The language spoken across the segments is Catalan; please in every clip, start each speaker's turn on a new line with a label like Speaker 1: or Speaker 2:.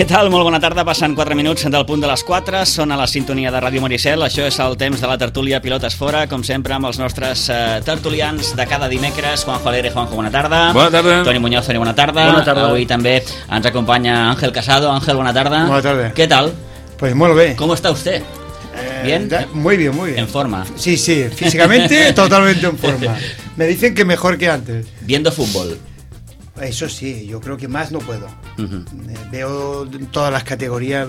Speaker 1: Què tal? Molt bona tarda, passen 4 minuts del punt de les 4, són a la sintonia de Ràdio Maricel, això és el temps de la tertúlia Pilotes Fora, com sempre amb els nostres tertulians de cada dimecres. Juanjo Alegre, Juanjo, bona tarda.
Speaker 2: Bona tarda.
Speaker 1: Toni Muñoz, Toni, bona tarda.
Speaker 3: Bona tarda.
Speaker 1: Avui també ens acompanya Ángel Casado. Ángel, bona tarda.
Speaker 3: Buena tarde.
Speaker 1: ¿Qué tal?
Speaker 3: Pues muy bien.
Speaker 1: ¿Cómo está usted? ¿Bien?
Speaker 3: Muy bien, muy bien.
Speaker 1: ¿En forma?
Speaker 3: Sí, sí, físicamente totalmente en forma. Me dicen que mejor que antes.
Speaker 1: ¿Viendo fútbol?
Speaker 3: Eso sí, yo creo que más no puedo. Veo todas las categorías.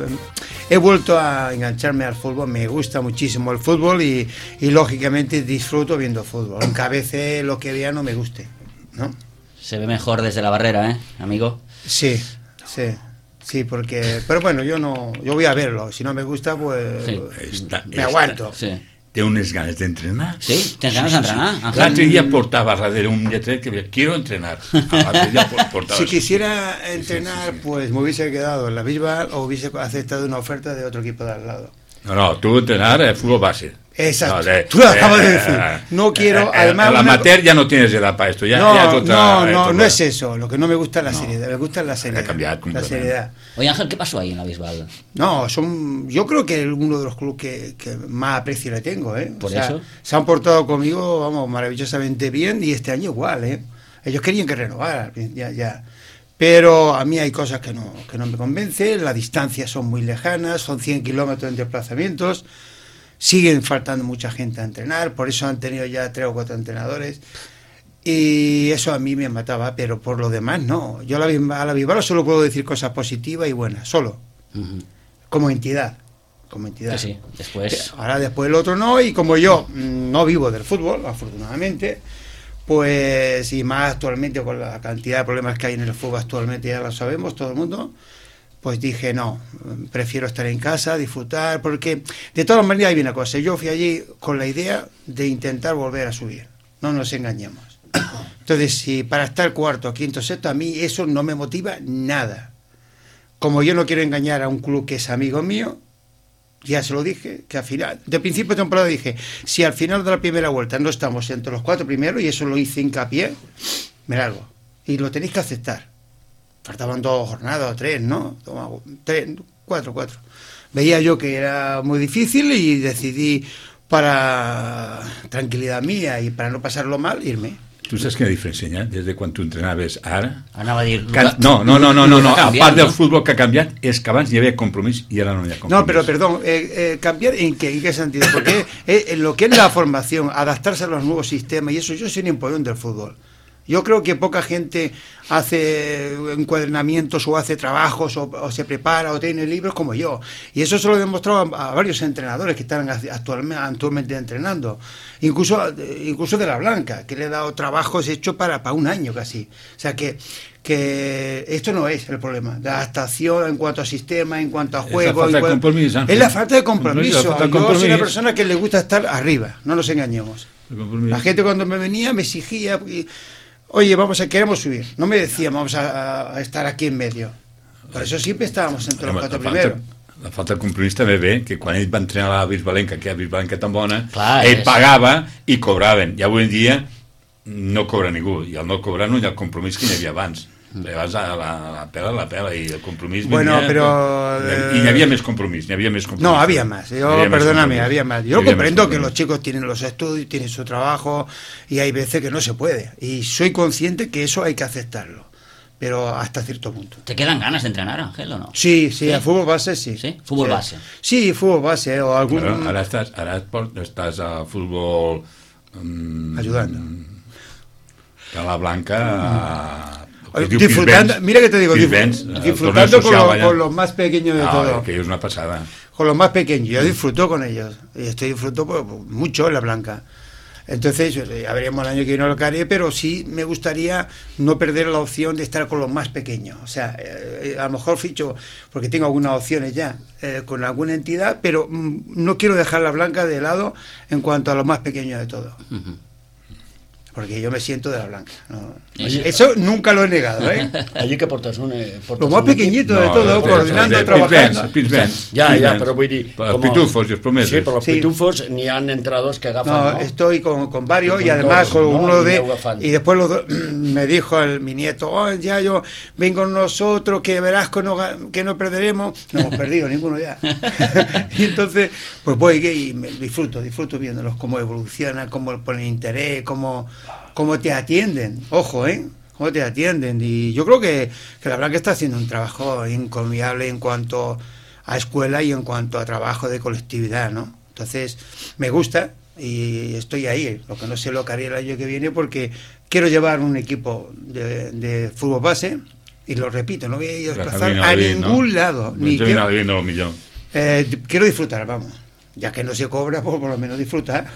Speaker 3: He vuelto a engancharme al fútbol, me gusta muchísimo el fútbol y lógicamente disfruto viendo fútbol, aunque a veces lo que vea no me guste, ¿no?
Speaker 1: Se ve mejor desde la barrera, amigo?
Speaker 3: Sí, porque... Pero bueno, yo voy a verlo, si no me gusta, pues
Speaker 1: sí.
Speaker 3: Me aguanto.
Speaker 1: Sí.
Speaker 2: Té unes ganes d'entrenar.
Speaker 1: Sí? Tens ganes d'entrenar? Ángel?
Speaker 2: L'altre dia portava darrere un lletret que deia, quiero entrenar. L'altre dia portava
Speaker 3: Si
Speaker 2: això.
Speaker 3: quisiera entrenar, pues me hubiese quedado en la Bisbal o hubiese aceptado una oferta de otro equipo de al lado.
Speaker 2: No, tu entrenar fútbol base.
Speaker 3: Exacto, tú lo acabas de decir. No quiero, además...
Speaker 2: El amateur ya no tienes edad para esto.
Speaker 3: No es eso. Lo que no me gusta es la seriedad. Me gusta la seriedad.
Speaker 2: Ha cambiado
Speaker 3: la
Speaker 2: completamente.
Speaker 3: seriedad.
Speaker 1: Oye, Ángel, ¿qué pasó ahí en la Bisbal?
Speaker 3: No, yo creo que es uno de los clubes que más aprecio le tengo, ¿eh?
Speaker 1: ¿Por eso?
Speaker 3: Se han portado conmigo, vamos, maravillosamente bien y este año igual, ¿eh? Ellos querían que renovara, ya. Pero a mí hay cosas que no me convencen, las distancias son muy lejanas, son 100 kilómetros en desplazamientos, siguen faltando mucha gente a entrenar, por eso han tenido ya 3 o 4 entrenadores y eso a mí me mataba, pero por lo demás no. Yo a la Bisbal solo puedo decir cosas positivas y buenas, solo, como entidad.
Speaker 1: Que sí, después...
Speaker 3: Ahora después el otro no, y como yo no vivo del fútbol, afortunadamente, pues y más actualmente con la cantidad de problemas que hay en el fútbol actualmente, ya lo sabemos todo el mundo, pues dije no, prefiero estar en casa, disfrutar, porque de todas maneras hay una cosa, yo fui allí con la idea de intentar volver a subir, no nos engañemos. Entonces, si para estar cuarto, quinto, sexto, a mí eso no me motiva nada. Como yo no quiero engañar a un club que es amigo mío, ya se lo dije, que al final, de principio de temporada dije, si al final de la primera vuelta no estamos entre los 4 primeros, y eso lo hice hincapié, me largo. Y lo tenéis que aceptar. Faltaban 2 jornadas o 3, ¿no? 4. Veía yo que era muy difícil y decidí, para tranquilidad mía y para no pasarlo mal, irme.
Speaker 2: Tu saps quina diferència hi ha des de quan tu entrenaves ara?
Speaker 1: Anava a dir...
Speaker 2: No. A part del fútbol que ha canviat és que abans hi havia compromís i ara no hi ha compromís.
Speaker 3: No, pero perdón, ¿cambiar en qué sentido? Porque lo que es la formación, adaptarse a los nuevos sistemas y eso, yo soy un empollón del fútbol. Yo creo que poca gente hace encuadernamientos o hace trabajos o se prepara o tiene libros como yo. Y eso se lo he demostrado a varios entrenadores que están actualmente entrenando. Incluso de la Blanca, que le he dado trabajos hechos para un año casi. O sea que esto no es el problema. La adaptación en cuanto a sistema, en cuanto a juego... Es la falta de compromiso. Yo soy una persona que le gusta estar arriba, no nos engañemos. La gente cuando me venía me exigía... Oye, queremos subir. No me decía, vamos a estar aquí en medio. Por eso siempre estábamos entre los 4 primeros.
Speaker 2: La falta de compromís també ve que quan ell va entrenar a la Bisbalenca, que la Bisbalenca tan bona,
Speaker 1: clar,
Speaker 2: ell pagava i cobraven. I avui en dia no cobra ningú. I al no cobrar no hi ha el compromís que hi havia abans. Vas a la pela y el compromiso.
Speaker 3: Bueno, pero...
Speaker 2: Y había más compromiso,
Speaker 3: No, había más. Había más. Yo comprendo que los chicos tienen los estudios, tienen su trabajo y hay veces que no se puede. Y soy consciente que eso hay que aceptarlo. Pero hasta cierto punto.
Speaker 1: ¿Te quedan ganas de entrenar, Ángel, o no?
Speaker 3: Sí, a fútbol base sí.
Speaker 1: ¿Sí? ¿Fútbol base?
Speaker 3: Sí, fútbol base. O algún...
Speaker 2: Claro, ahora estás a fútbol...
Speaker 3: ayudando.
Speaker 2: A la Blanca...
Speaker 3: Disfrutando, mira que te digo, disfrutando con los más pequeños de todo.
Speaker 2: Que es una pasada.
Speaker 3: Con los más pequeños, yo disfruto con ellos. Y disfruto mucho en la Blanca. Entonces, ya veremos el año que viene lo que haré, pero sí me gustaría no perder la opción de estar con los más pequeños. O sea, a lo mejor ficho, porque tengo algunas opciones ya, con alguna entidad, pero no quiero dejar la Blanca de lado en cuanto a los más pequeños de todo. porque yo me siento de la blanca, ¿no? Eso nunca lo he negado, ¿eh?
Speaker 4: Allí que portes
Speaker 3: lo más pequeñito de todo, coordinando, trabajando.
Speaker 4: Ya, però vull dir...
Speaker 2: Els pitufos, els promeses.
Speaker 4: Sí, però els pitufos n'hi ha entrenadors que agafen,
Speaker 3: no,
Speaker 4: ¿no?
Speaker 3: Estoy con varios y además con uno de... Y después me dijo mi nieto, ya yo vengo con nosotros, que verás que no perderemos. No hemos perdido ninguno ya. Y entonces, pues voy y me disfruto viéndolos, cómo evolucionan, cómo ponen interés, cómo te atienden, ojo, cómo te atienden. Y yo creo que la Blanca está haciendo un trabajo encomiable en cuanto a escuela y en cuanto a trabajo de colectividad, ¿no? Entonces, me gusta y estoy ahí. Lo que no sé lo que haré el año que viene, porque quiero llevar un equipo de fútbol base, y lo repito, no voy a ir a desplazar a ningún lado. Quiero disfrutar, vamos. Ya que no se cobra, pues por lo menos disfrutar.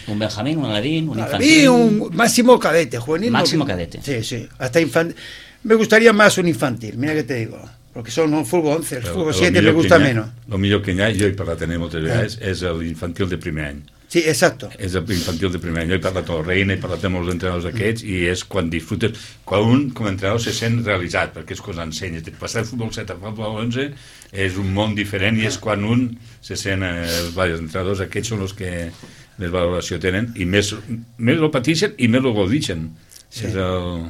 Speaker 1: Un Benjamín, un Aladín, un infantil.
Speaker 3: Y un máximo cadete, juvenil.
Speaker 1: Máximo cadete.
Speaker 3: Sí, hasta infantil. Me gustaría más un infantil, mira que te digo. Porque son un fútbol 11, el fútbol 7 me gusta menos.
Speaker 2: El millor que hi ha, jo he parlat també moltes vegades, és l'infantil de primer any.
Speaker 3: Sí, exacto.
Speaker 2: És l'infantil de primer any. Jo he parlat amb el Reina, he parlat amb els entrenadors d'aquests, i és quan disfrutes, quan un com a entrenador se sent realitzat, perquè és quan ensenyes. Passar el futbol 7 a futbol 11 és un món diferent, i és quan un se sent, els entrenadors aquests són els que més valoració tenen, i més lo pateixen i més lo godixen.
Speaker 3: Sí.
Speaker 2: És el...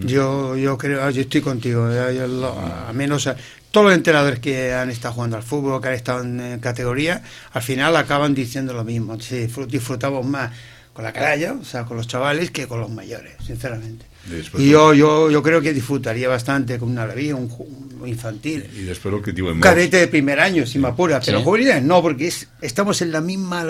Speaker 3: Yo creo, yo estoy contigo, a menos todos los entrenadores que han estado jugando al fútbol, que han estado en categoría, al final acaban diciendo lo mismo. Sí, disfrutamos más con la canalla, o sea, con los chavales, que con los mayores, sinceramente. Y yo creo que disfrutaría bastante con una Alaví, un infantil, un cadete de primer año, si me apura, pero juveniles no, porque estamos en la misma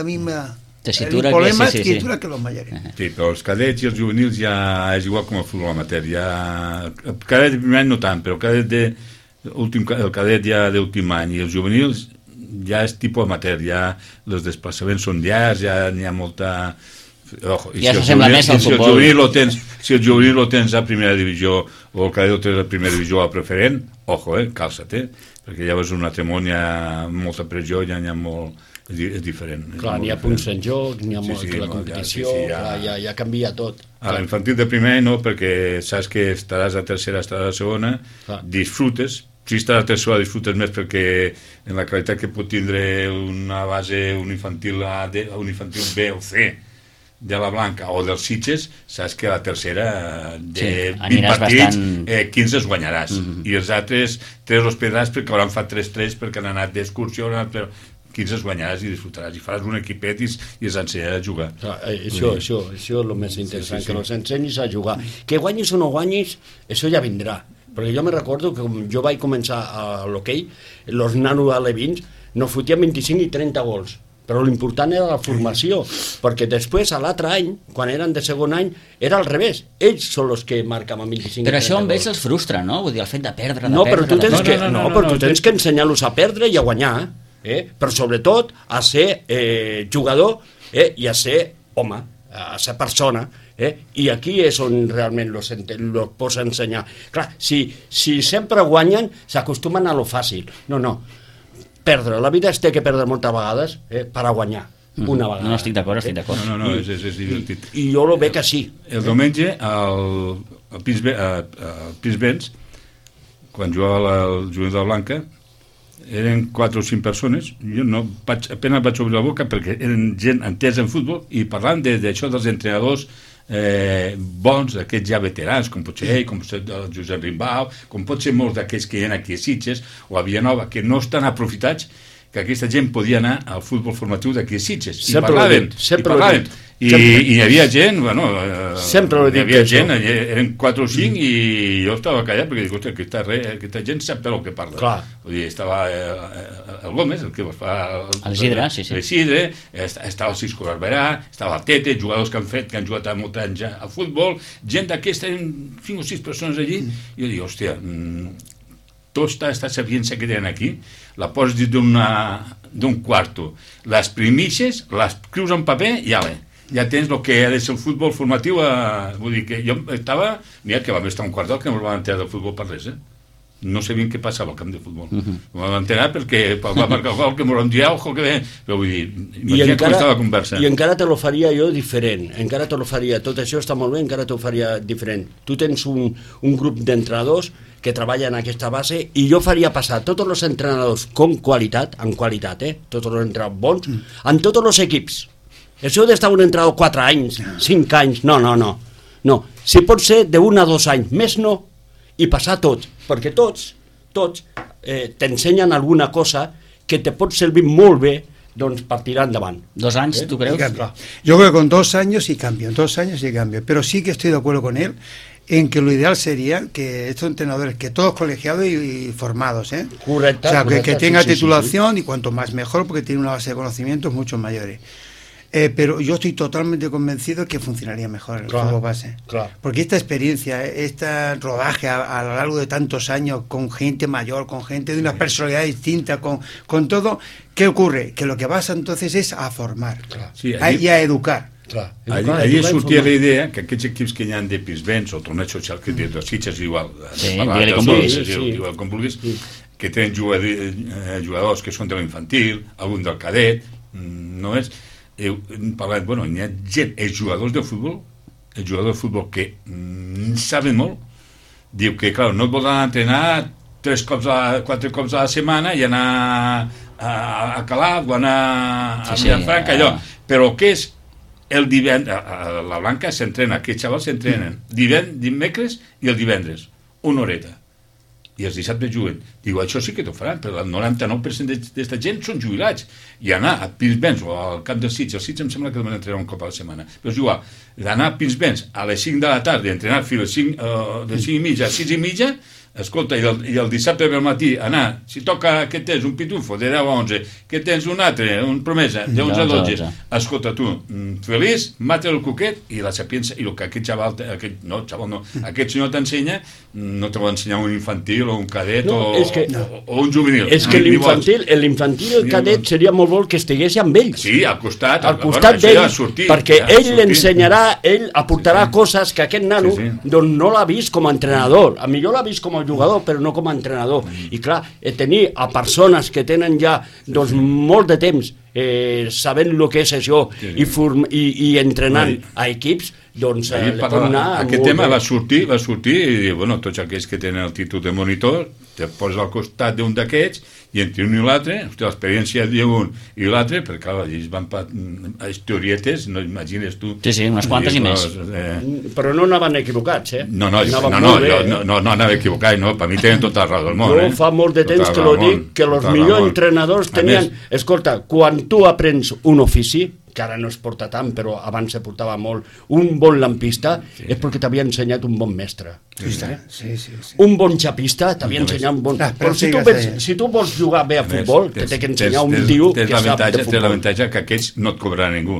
Speaker 1: tessitura,
Speaker 3: el problema és tessitura que los mayores.
Speaker 2: Sí, però els cadets i els juvenils ja és igual com el futbol amateur. El cadet de primer any no tant, però el cadet ja d'últim any i els juvenils ja és tipus amateur, ja els desplaçaments són llargs, ja n'hi ha molta...
Speaker 1: Ojo, ja s'assembla més al futbol.
Speaker 2: Si el juvenil lo tens a primera divisió o el cadet lo tens a primera divisió a preferent, ojo, calça't, perquè llavors un altre món hi ha molta pressió, ja n'hi ha molt... és diferent.
Speaker 4: Clar, n'hi ha punts en joc, n'hi ha la competició, ja canvia tot.
Speaker 2: A l'infantil de primer no, perquè saps que estaràs a tercera, estaràs a segona, disfrutes. Si estàs a tercera disfrutes més perquè en la qualitat que pot tindre una base, un infantil A, un infantil B o C de la Blanca o dels Sitges, saps que a la tercera de 20 partits 15 els guanyaràs, i els altres 3 els perdràs perquè hauran fet 3-3 perquè han anat d'excursió, 15 els guanyaràs i disfrutaràs, i faràs un equipet i els ensenyaràs a jugar.
Speaker 4: Això és el més interessant, que els ensenyis a jugar. Que guanyis o no guanyis, això ja vindrà. Perquè jo me recordo que jo vaig començar a l'hoquei, els nanos alevins no fotien 25 i 30 gols, però l'important era la formació, perquè després, a l'altre any, quan eren de segon any, era al revés. Ells són els que marcaven 25 i 30 gols.
Speaker 1: Però això amb ells els frustra, no? Vull dir, el fet de perdre,
Speaker 4: però tu tens que ensenyar-los a perdre i a guanyar, però sobretot a ser jugador i a ser home, a ser persona, i aquí és on realment los pots ensenyar. Clar, si sempre guanyen, s'acostumen a lo fàcil. No, perdre, la vida es té que perdre moltes vegades per a guanyar una vegada.
Speaker 1: No, estic d'acord.
Speaker 2: No, és divertit.
Speaker 4: I jo lo veig així.
Speaker 2: El diumenge al Pinsbens, quan jugava el jugador de la Blanca, eren 4 o 5 persones, jo apenas vaig obrir la boca perquè eren gent entesa en futbol i parlant d'això dels entrenadors bons, d'aquests ja veterans, com pot ser ell, com pot ser el Josep Rimbau, com pot ser molts d'aquells que hi ha aquí a Sitges o a Villanova, que no estan aprofitats, que aquesta gent podia anar al futbol formatiu d'aquí a Sitges. I parlaven. I hi havia gent, hi havia gent, eren 4 o 5 i jo estava callat perquè dic, ostres, aquesta gent sap el que parla. Vull dir, estava el Gómez, el que va fer
Speaker 1: l'Isidre,
Speaker 2: estava el Cisco Barberà, estava el Tete, jugadors que han jugat molts anys al futbol, gent d'aquesta, 5 o 6 persones allí, i jo dic, hòstia, tota aquesta sapiència que tenen aquí, la poses dins d'un quarto, les primixes, les escrius en paper i ja tens el que ha de ser el futbol formatiu. Vull dir que jo estava, mira que vam estar un quart d'hora que no el vam enterar del futbol per res, no sabien què passava al camp de futbol. Ho vam enterar perquè va marcar el gol, que m'ho dia, ojo, que bé. Però vull dir, imagina com estava la conversa.
Speaker 4: I encara te lo faria jo diferent, encara te lo faria, tot això està molt bé, encara te lo faria diferent. Tu tens un grup d'entrenadors que treballen en aquesta base i jo faria passar tots els entrenadors en qualitat, tots els entrenadors bons, en tots els equips. Això d'estar un entrenador 4 anys, 5 anys, no. Si pot ser d'1 a 2 anys, més no, i passar tots, perquè tots t'ensenyen alguna cosa que te pot servir molt bé doncs, per tirar endavant.
Speaker 1: 2 anys, ¿tú crees?
Speaker 3: Yo creo que con 2 años sí cambio, pero sí que estoy de acuerdo con él en que lo ideal sería que estos entrenadores, que todos colegiados y formados,
Speaker 4: Correcte,
Speaker 3: o sea,
Speaker 4: correcte,
Speaker 3: que tenga
Speaker 4: sí,
Speaker 3: titulación y cuanto más mejor, porque tiene una base de conocimientos mucho mayores. Pero yo estoy totalmente convencido que funcionaría mejor el fútbol base.
Speaker 4: Claro.
Speaker 3: Porque esta experiencia, este rodaje a lo largo de tantos años con gente mayor, con gente de una personalidad distinta, con todo, ¿qué ocurre? Que lo que vas entonces es a formar y a educar.
Speaker 2: Allí sortia la idea que aquests equips que hi ha de Pinsbens o torneig social que de Sitges igual, igual com vulguis, que tenen jugadors que són de l'infantil, algun del cadet, no és... parlat, bueno, hi ha gent, els jugadors de futbol que saben molt, diu que, clar, no et volen entrenar 4 cops a la setmana i anar a Calaf o anar a Vilafranca, allò, però què és el divendres, a la Blanca s'entrena, aquests xavals s'entrenen dimecres i el divendres, una horeta, i els dissabtes juguen. Diu, això sí que t'ho faran, però el 99% d'esta gent són jubilats, i anar a Pinsbens o al camp del Sitges, el Sitges em sembla que deuen entrenar un cop a la setmana, però és igual, d'anar a Pinsbens a les 5 de la tarda, entrenar fins de 5 i mitja a 6 i mitja, escolta, i el dissabte pel matí anar, si toca que tens un pitufo de 10 a 11, que tens un altre, un promesa de 11 a 12, escolta tu, feliç, mata el cuquet i la sapiença, i el que aquest xaval, aquest senyor t'ensenya, no te va ensenyar un infantil o un cadet o un juvenil.
Speaker 4: És que l'infantil i el cadet seria molt bo que estigués amb ells.
Speaker 2: Sí, al costat
Speaker 4: d'ells, perquè ell l'ensenyarà, ell aportarà coses que aquest nano no l'ha vist com a entrenador, a millor l'ha vist com a jugador, però no com a entrenador. I clar, tenir a persones que tenen ja molt de temps sabent el que és això i entrenant a equips, doncs
Speaker 2: aquest tema va sortir i dir, bueno, tots aquells que tenen el títol de monitor te poses al costat d'un d'aquests i entre un i l'altre, l'experiència d'un i l'altre, perquè clar, ells van a historietes, no imagines tu.
Speaker 1: Sí, unes quantes i més.
Speaker 4: Però no anaven equivocats,
Speaker 2: No anava equivocat, no, per mi tenen tota la raó del món.
Speaker 4: Jo fa molt de temps que lo dic, que els millors entrenadors tenien... Escolta, quan tu aprens un ofici, que ara no es porta tant, però abans se portava molt, un bon lampista és perquè t'havia ensenyat un bon mestre.
Speaker 3: Sí.
Speaker 4: Un bon xapista t'havia ensenyat un bon... Però si tu vols jugar bé a futbol, te té que ensenyar un tio que sap de futbol.
Speaker 2: Té l'avantatge que aquests no et cobrarà ningú.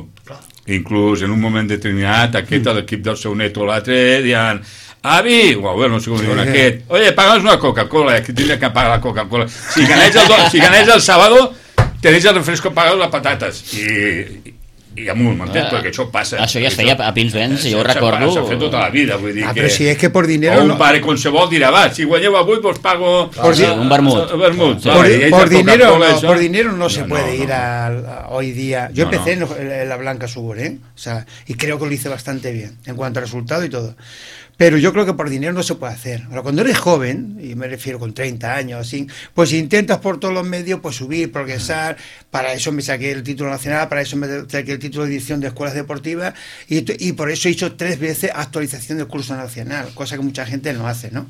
Speaker 2: Inclús en un moment determinat, aquest a l'equip del seu net o l'altre diuen avi, no sé com diuen aquest, oye, paga'ns una Coca-Cola, que tindria que pagar la Coca-Cola. Si ganeix el sábado, tenéis el refresco pagado las patatas. I amunt, m'entens? Perquè això passa.
Speaker 1: Això ja es feia a Pinsbens, jo ho recordo.
Speaker 2: S'ha fet tota la vida, vull dir que...
Speaker 3: Però si és que por dinero...
Speaker 2: O un pare qualsevol dirà, va, si guanyeu avui, pues pago...
Speaker 1: Un vermut.
Speaker 3: Por dinero no se puede ir hoy día. Yo empecé en la Blanca Subur, o sea, y creo que lo hice bastante bien, en cuanto a resultado y todo. Pero yo creo que por dinero no se puede hacer. Ahora, cuando eres joven, y me refiero con 30 años, así, pues intentas por todos los medios pues subir, progresar. Para eso me saqué el título nacional, para eso me saqué el título de dirección de escuelas deportivas y por eso he hecho 3 veces actualización del curso nacional, cosa que mucha gente no hace, ¿no?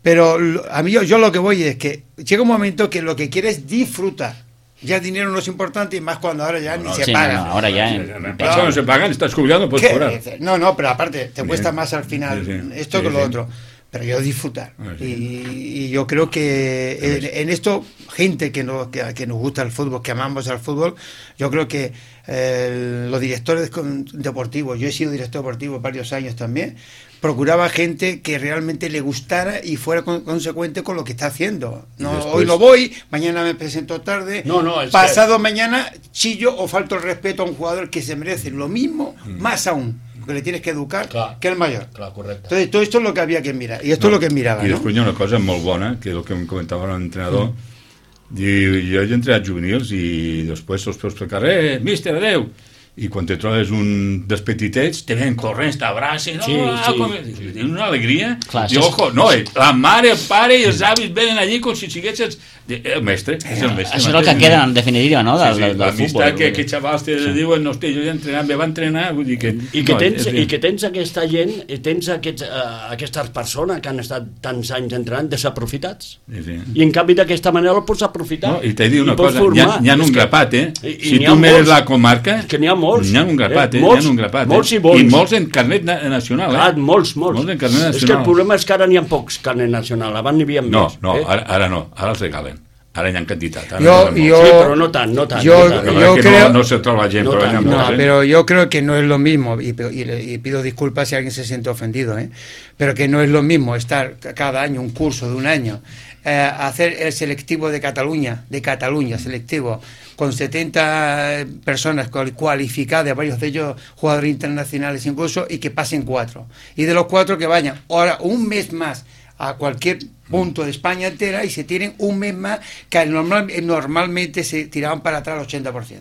Speaker 3: Pero a mí yo lo que voy es que llega un momento que lo que quieres es disfrutar. Ya el dinero no es importante y más cuando ahora ya ni se paga.
Speaker 1: No, ahora ya.
Speaker 2: No se pagan, estás jubilando, puedes cobrar.
Speaker 3: No, pero aparte, te cuesta más al final esto que lo otro. Pero yo disfrutar. Y yo creo que en esto, gente que nos gusta el fútbol, que amamos al fútbol, yo creo que los directores deportivos, yo he sido director deportivo varios años también, procuraba gente que realmente le gustara y fuera consecuente con lo que está haciendo. Hoy no voy, mañana me presento tarde, pasado mañana chillo o falto el respeto a un jugador que se merece lo mismo, más aún. que le tienes que educar,
Speaker 4: Clar.
Speaker 3: que el mayor.
Speaker 4: Clar, correcte.
Speaker 3: Entonces, todo esto es lo que había que mirar, y esto es lo que miraba,
Speaker 2: I
Speaker 3: ¿no?
Speaker 2: després hi ha una cosa molt bona, que és el que em comentava l'entrenador, diu, jo he entrenat juvenils i després els peus pel carrer, míster, adeu, i quan te trobes un dels petitets te ven corrents, t'abracen,
Speaker 4: Sí, sí.
Speaker 2: tenen una alegria.
Speaker 1: Clar,
Speaker 2: I ojo, no, la mare, el pare i els avis venen allí com si siguessis el mestre, és el mestre.
Speaker 1: Això és el que queda en definitiva, no? Del futbol.
Speaker 2: L'amistat que aquests xavals te diuen, no, hosti, jo he entrenat, me va entrenar, vull dir que...
Speaker 4: I que tens aquesta gent, tens aquestes persones que han estat tants anys entrenant desaprofitats.
Speaker 2: Sí.
Speaker 4: I en canvi d'aquesta manera el pots aprofitar.
Speaker 2: No, i t'he dit una
Speaker 4: pots
Speaker 2: cosa, n'hi ha un grapat, si tu mires la comarca,
Speaker 4: que n'hi ha molts.
Speaker 2: n'hi ha un grapat,
Speaker 4: molts,
Speaker 2: n'hi ha un grapat.
Speaker 4: molts i bons.
Speaker 2: I molts en carnet nacional,
Speaker 4: Clar, molts.
Speaker 2: Molts en carnet nacional.
Speaker 4: És que el problema és que ara n'hi ha pocs carnet nacional, abans n'hi havia més.
Speaker 2: No, ara no, ara els regalen. Ara hi ha quantitat.
Speaker 3: Sí,
Speaker 4: pero no tan.
Speaker 3: Yo
Speaker 2: que
Speaker 3: creo...
Speaker 2: no se troba gent,
Speaker 4: No
Speaker 2: però
Speaker 4: tant.
Speaker 3: No, pero yo creo que no es lo mismo, y pido disculpas si alguien se siente ofendido, pero que no es lo mismo estar cada año, un curso de un año, hacer el selectivo de Cataluña, selectivo, con 70 personas cualificadas, varios de ellos jugadores internacionales incluso, y que pasen 4. Y de los 4 que vayan ahora un mes más a cualquier punto de España entera y se tienen un mes más que normalmente se tiraban para atrás el 80%.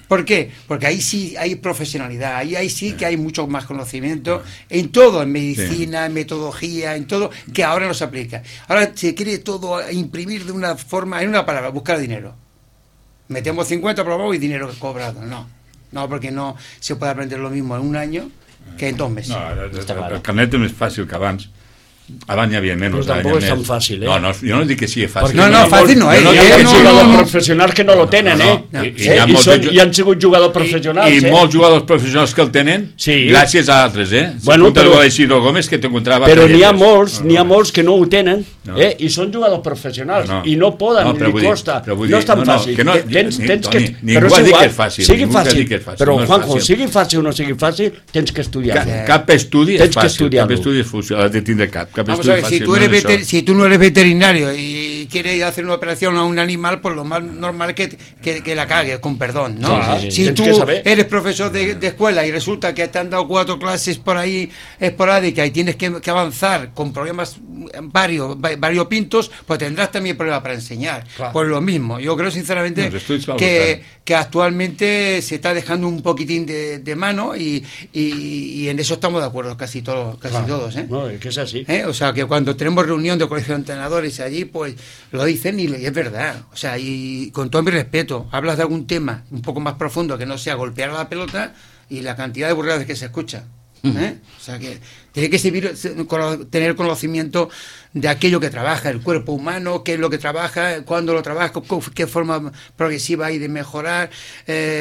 Speaker 3: ¿Por qué? Porque ahí sí hay profesionalidad, ahí sí que hay mucho más conocimiento en todo, en medicina, en metodología, en todo, que ahora no se aplica. Ahora se quiere todo imprimir de una forma, en una palabra, buscar dinero. Metemos 50 probados y dinero cobrado. No, porque no se puede aprender lo mismo en un año que en 2 meses.
Speaker 2: No, el carnet és més fàcil que abans. Abans hi havia menys.
Speaker 4: Però tampoc és tan fàcil,
Speaker 2: No, jo no dic que sigui fàcil.
Speaker 3: Fàcil no és.
Speaker 4: Hi ha jugadors professionals que no lo tenen, I han sigut jugadors professionals.
Speaker 2: I molts jugadors professionals que el tenen, gràcies a altres,
Speaker 4: Bueno, però
Speaker 2: Isidro Gómez, que t'encontrava...
Speaker 4: Però n'hi ha molts que no ho tenen, i són jugadors professionals, i no poden, li costa. No és tan fàcil. Tens que...
Speaker 2: Ningú ha dit que és fàcil.
Speaker 4: Sigui fàcil, però Juanjo, sigui fàcil o no sigui fàcil, tens que estudiar.
Speaker 2: Cap estudi és fàcil, cap estudi és fàcil, has de tindre cap.
Speaker 3: Vamos a ver, si tú no eres veterinario y quieres hacer una operación a un animal, pues lo más normal es que la cagues, con perdón, ¿no?
Speaker 4: Sí.
Speaker 3: Si tú eres profesor de escuela y resulta que te han dado 4 clases por ahí esporádicas y tienes que avanzar con problemas variopintos, pues tendrás también problemas para enseñar.
Speaker 4: Claro.
Speaker 3: Pues lo mismo. Yo creo sinceramente que actualmente se está dejando un poquitín de mano y en eso estamos de acuerdo casi todos,
Speaker 4: No, es que es así.
Speaker 3: O sea, que cuando tenemos reunión de colegio de entrenadores allí, pues lo dicen y es verdad. O sea, y con todo mi respeto, hablas de algún tema un poco más profundo que no sea golpear a la pelota y la cantidad de burradas que se escucha. O sea, que tiene que tener conocimiento de aquello que trabaja el cuerpo humano, qué es lo que trabaja, cuándo lo trabaja, qué forma progresiva hay de mejorar,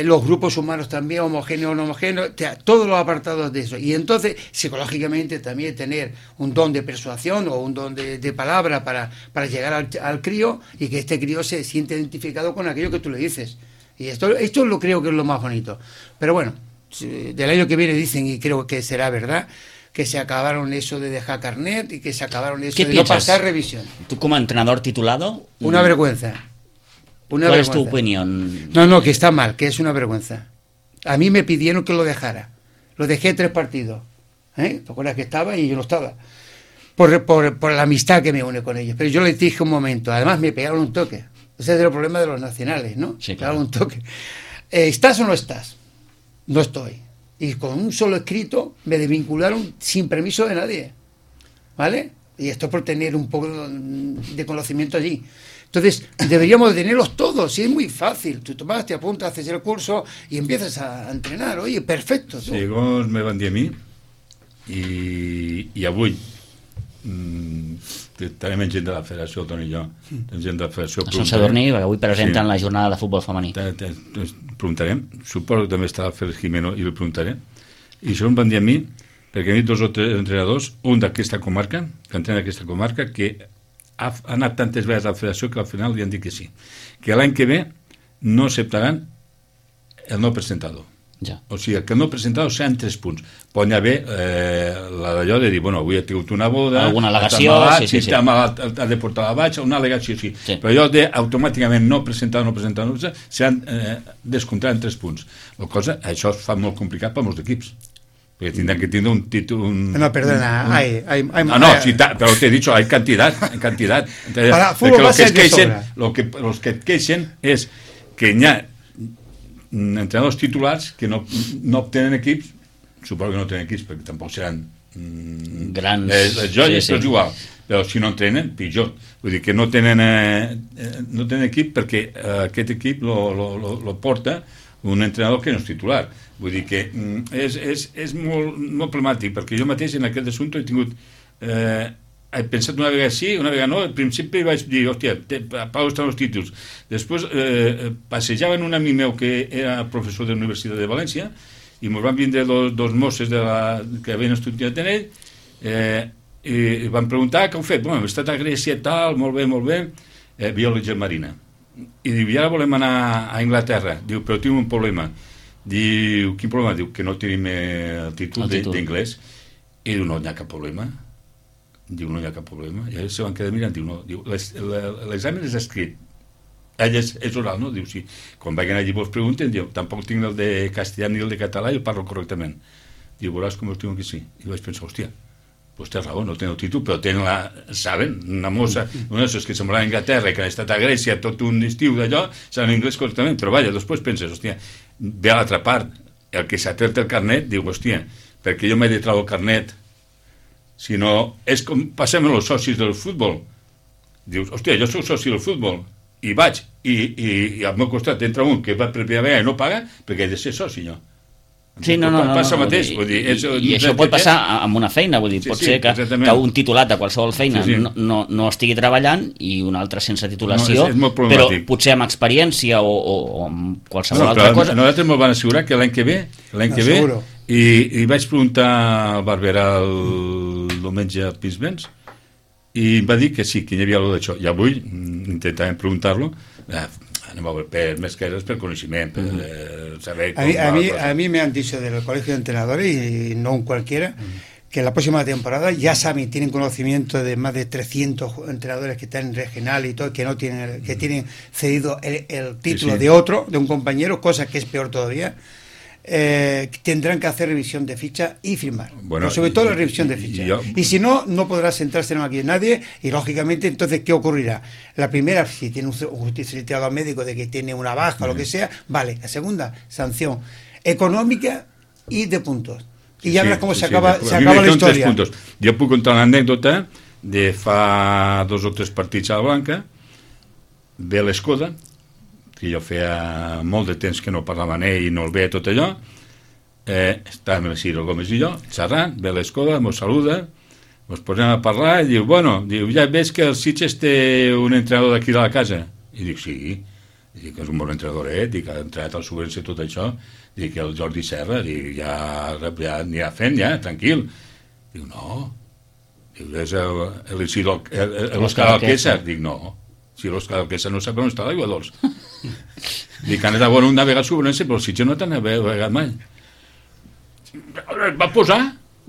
Speaker 3: los grupos humanos también, homogéneos o no homogéneos, todos los apartados de eso. Y entonces, psicológicamente, también tener un don de persuasión o un don de palabra para llegar al crío y que este crío se siente identificado con aquello que tú le dices. Y esto lo creo que es lo más bonito. Pero bueno, del año que viene dicen, y creo que será verdad, que se acabaron eso de dejar carnet y que se acabaron eso de no pasar revisión.
Speaker 1: ¿Tú como entrenador titulado?
Speaker 3: Una vergüenza.
Speaker 1: ¿Cuál es tu opinión?
Speaker 3: No, que está mal, que es una vergüenza. A mí me pidieron que lo dejara. Lo dejé 3 partidos. ¿Te acuerdas que estaba y yo no estaba? Por la amistad que me une con ellos. Pero yo les dije un momento, además me pegaron un toque. Ese es el problema de los nacionales, ¿no?
Speaker 1: Sí, claro.
Speaker 3: Pegaron un toque. ¿Estás o no estás? No estoy. Y con un solo escrito me desvincularon sin permiso de nadie. ¿Vale? Y esto por tener un poco de conocimiento allí. Entonces, deberíamos de tenerlos todos, y es muy fácil. Tú vas, te apuntas, haces el curso y empiezas a entrenar. Oye, perfecto. Tu.
Speaker 2: Sí, llavors me van dir a mi i avui tenim gent de la federació, Toni i jo, gent de la federació.
Speaker 1: A Sant Sadurní, perquè avui presenten la jornada de futbol femení.
Speaker 2: Preguntarem, suposo que també està el Félix Jimeno i li preguntaré. I això em van dir a mi, perquè hi ha 2 o 3 entrenadors, un d'aquesta comarca, que entrena aquesta comarca, que ha anat tantes vegades a la federació que al final li han dit que sí. Que l'any que ve no acceptaran el no presentador.
Speaker 1: Ja.
Speaker 2: O sigui, que el no presentador seran 3 punts. Pot haver d'allò de dir, bueno, avui he tingut una boda,
Speaker 1: alguna al·legació,
Speaker 2: sí. Ha de portar la baixa, una al·legació, sí. Però allò de automàticament no presentar, seran descomptat en 3 punts. La cosa, això es fa molt complicat per molts equips. Porque tindran que tindre un títol...
Speaker 3: No, perdona,
Speaker 2: pero te he dicho, hay cantidad. Entonces,
Speaker 3: para fútbol base es de sobra.
Speaker 2: Los que queixen es que hi ha entrenadors titulars que no obtenen equips, suposo que no tenen equips perquè tampoc seran
Speaker 1: grans,
Speaker 2: joies, però és igual, però si no entrenen, pitjor. Vull dir que no tenen equip perquè aquest equip lo porta un entrenador que no és titular. Vull dir que és molt problemàtic, perquè jo mateix en aquest assumpte he tingut... he pensat una vegada sí, una vegada no. Al principi vaig dir, hòstia, Pau estan els títols. Després passejaven un amic meu que era professor de la Universitat de València i ens van vindre dos mosses que havien estudiat en ell i van preguntar què heu fet. Bueno, hem estat a Grècia, tal, molt bé, biologia marina. I diu, i ara volem anar a Anglaterra. Diu, però tinc un problema. Diu, quin problema? Diu, que no tenim el títol d'inglès. I diu, no hi ha cap problema. Diu, no hi ha cap problema. I ells se van quedar mirant. Diu, no. Diu, l'examen és escrit. Ell és oral, no? Diu, sí. Quan vagin allí vos pregunten, diu, tampoc tinc el de castellà ni el de català i el parlo correctament. Diu, veuràs com us diuen que sí. I vaig pensar, hòstia, pues té raó, no tenen el títol, però tenen saben, una mossa, una de que se'n va a Anglaterra i que han estat a Grècia tot un estiu d'allò, saben anglès correctament, però vaja, després penses, hòstia, ve a l'altra part, el que s'ha tret el carnet, diu, hòstia, perquè jo m'he de treure el carnet, si no, és com passem amb els socis del futbol. Dius, hòstia, jo soc soci del futbol, i vaig, i al meu costat entra un que va per primera vegada i no paga, perquè he de ser soci, jo.
Speaker 1: Sí, no,
Speaker 2: passa mateix, vull dir,
Speaker 1: i això pot passar amb una feina, vull dir, pot ser que un titulat de qualsevol feina no estigui treballant i un altre sense titulació, però potser amb experiència o amb qualsevol altra cosa.
Speaker 2: Nosaltres m'ho van assegurar que l'any que ve i vaig preguntar al Barberà el diumenge al Pinsbens i em va dir que sí, que hi havia allò d'això, i avui intentarem preguntar-lo, anem a ver més que res per coneixement, per saber com
Speaker 3: a mí me han dicho del colegio de entrenadores y no un cualquiera que la próxima temporada ya saben, tienen conocimiento de más de 300 entrenadores que están en regional y todo, que no tienen, que tienen cedido el título de otro, de un compañero, cosa que es peor todavía. Tendrán que hacer revisión de ficha y firmar, pero sobre todo la revisión de ficha, y si no, no podrá sentarse en aquí nadie, y lógicamente entonces ¿qué ocurrirá? La primera, si tiene un certificado médico de que tiene una baja o lo que sea, vale. La segunda, sanción econòmica i de puntos, i ja veuràs com s'acaba la història.
Speaker 2: Jo puc contar una anècdota de fa 2 o 3 partits a la Blanca. Ve l'Escoda, que jo feia molt de temps que no parlava amb ell i no el veia tot allò, estàvem el Ciro Gómez i jo xerrant, ve l'Escoda, mos saluda, mos posem a parlar i diu, bueno, ja veig que el Sitges té un entrenador d'aquí de la casa. I dic, sí, dic que és un bon entrenador, dic que ha entrenat al Subvenció tot això, dic que el Jordi Serra, dic, ja anirà fent, ja, tranquil. Diu, no, és l'Òscar Alquesa. Dic, no, si l'Òscar Alquesa no sap on està l'aigua dolç. Dic, han anat a una vegada Subvenció, però el Sitges no t'han navegat mai. Va posar,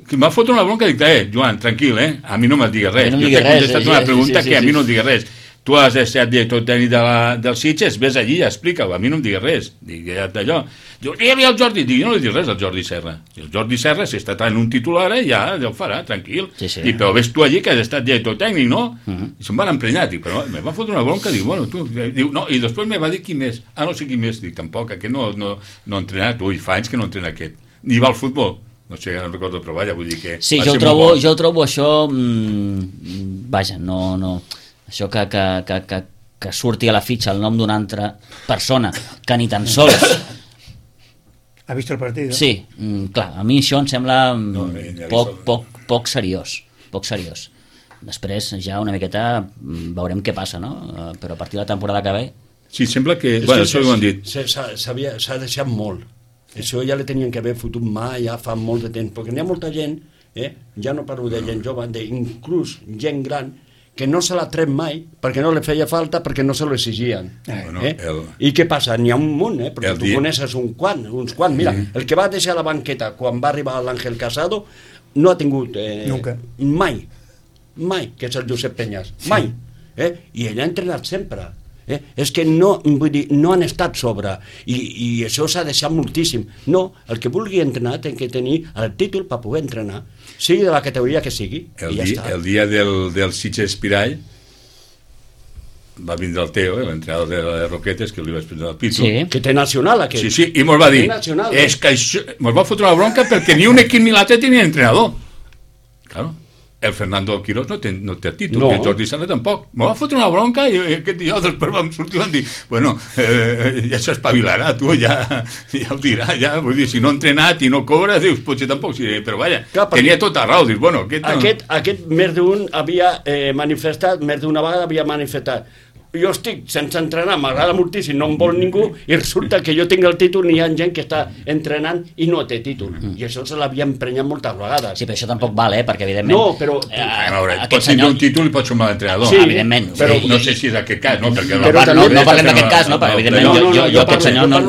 Speaker 2: que em va fotre una bronca, dic, Joan, tranquil, a mi no m'has digues res. Jo t'he contestat una pregunta que a mi no em digues res. Tu has de ser director tècnic del Sitges, ves allí i explica-ho, a mi no em digues res. Dic, d'allò. Diu, hi havia el Jordi. Dic, jo no li dic res al Jordi Serra. El Jordi Serra, si està en un titular, ja ho farà, tranquil. Dic, però ves tu allí que has estat director tècnic, no? I se'm van emprenyar. Dic, però me va fotre una bronca. Dic, bueno, tu... Diu, no, i després me va dir qui més. No sé qui més. Dic, tampoc, aquest no ha entrenat. Ui, fa anys que no entrena aquest. Ni va al futbol. No sé, no recordo, però vaja, vull dir que...
Speaker 1: Sí, jo trobo això... Vaja, no... Això que surti a la fitxa el nom d'una altra persona que ni tan sols...
Speaker 3: Ha vist el partit?
Speaker 1: Sí, clar, a mi això em sembla poc seriós. Després ja una miqueta veurem què passa, no? Però a partir de la temporada que ve...
Speaker 2: Sí, sembla que... Bueno, això ho han dit.
Speaker 4: S'ha deixat molt. Això ja li tenien que haver fotut mà ja fa molt de temps, perquè n'hi ha molta gent, ja no parlo de gent jove, inclús gent gran, que no se l'ha tret mai perquè no li feia falta, perquè no se lo exigien. I què passa? N'hi ha un munt, perquè tu coneixes uns quants. Mira, el que va deixar la banqueta quan va arribar l'Àngel Casado no ha tingut mai, que és el Josep Peñas, mai. I ell ha entrenat sempre. És que no, vull dir, no han estat sobre, i això s'ha deixat moltíssim. No, el que vulgui entrenar té que tenir el títol per poder entrenar, sigui de la categoria que sigui, i ja està.
Speaker 2: El dia del Sitges Espirall va vindre el Teo, l'entrenador de les Roquetes, que li vaig prendre el pito.
Speaker 4: Sí, que té nacional, aquest.
Speaker 2: Sí, i mos va dir, és que això, mos va fotre la bronca perquè ni un equip ni l'altre tenia entrenador. Claro. El Fernando Quirós no té títol, i el Jordi Sala tampoc. Me va fotre una bronca i aquest dia després vam sortir i vam dir, bueno, ja s'espavilarà, tu ja ho dirà, ja, vull dir, si no ha entrenat i no cobra, dius, potser tampoc, sí, però vaja, tenia tota raó, dius, bueno,
Speaker 4: aquest més d'un havia manifestat, més d'una vegada havia manifestat, jo estic sense entrenar, m'agrada moltíssim, no em vol ningú, i resulta que jo tinc el títol i hi ha gent que està entrenant i no té títol, i això se l'havia emprenyat moltes vegades.
Speaker 1: Sí, però això tampoc val, perquè evidentment...
Speaker 4: No, però...
Speaker 2: Pots tenir un títol i pots ser un mal entrenador.
Speaker 1: Sí, evidentment.
Speaker 2: Però no sé si és aquest cas, no?
Speaker 1: No parlem d'aquest cas, no? Perquè evidentment jo aquest senyor no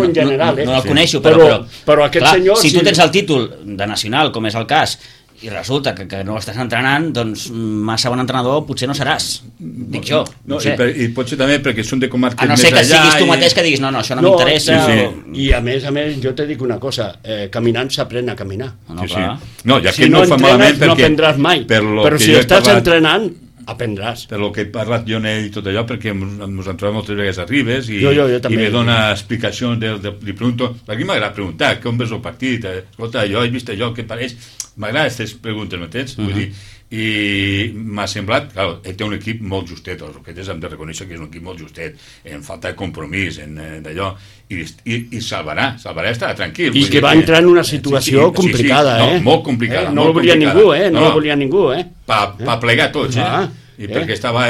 Speaker 1: el coneixo,
Speaker 4: però aquest senyor...
Speaker 1: Si tu tens el títol de nacional, com és el cas, i resulta que no estàs entrenant, doncs massa bon entrenador potser no seràs, dic jo, no sé.
Speaker 2: I potser també perquè són de comarques
Speaker 1: més allà... A no ser que siguis tu mateix que diguis, no, això no m'interessa...
Speaker 4: I a més, jo te dic una cosa, caminant s'aprèn a caminar.
Speaker 2: No, ja que no fa malament perquè...
Speaker 4: No aprendràs mai, però si estàs entrenant, aprendràs.
Speaker 2: Per lo que he parlat jo i tot allò, perquè ens han trobat moltes vegades a Ribes i
Speaker 4: me
Speaker 2: dona explicacions, li pregunto, aquí m'agrada preguntar, com ves el partit, escolta, jo he vist allò, què pareix? M'agrada aquestes preguntes, m'entens? Vull dir, i m'ha semblat, clar, té un equip molt justet, els Roquetes hem de reconèixer que és un equip molt justet, en falta de compromís, en d'allò, i salvarà, estarà tranquil.
Speaker 4: I que va entrar en una situació complicada,
Speaker 2: molt complicada.
Speaker 4: No ho volia ningú, no ho volia ningú,
Speaker 2: Pa plegar tots, i perquè estava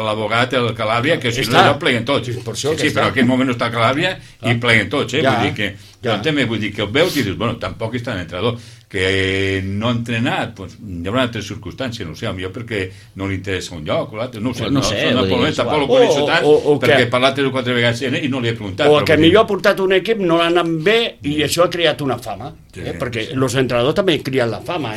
Speaker 2: l'abogat, el Calàbria, que si no ja pleguen tots. Sí, però en aquell moment no està Calàbria i pleguen tots, vull dir que també vull dir que el veus i dius, bueno, tampoc està l'entrenador, que no ha entrenat, doncs hi haurà altres circumstàncies, no sé, potser perquè no li interessa un lloc o l'altre, no sé, tampoc lo coneixo tant, perquè he parlat 3 o 4 vegades i no li he preguntat.
Speaker 4: O que millor ha portat un equip, no l'ha anat bé i això ha creat una fama, perquè els entrenadors també crien la fama,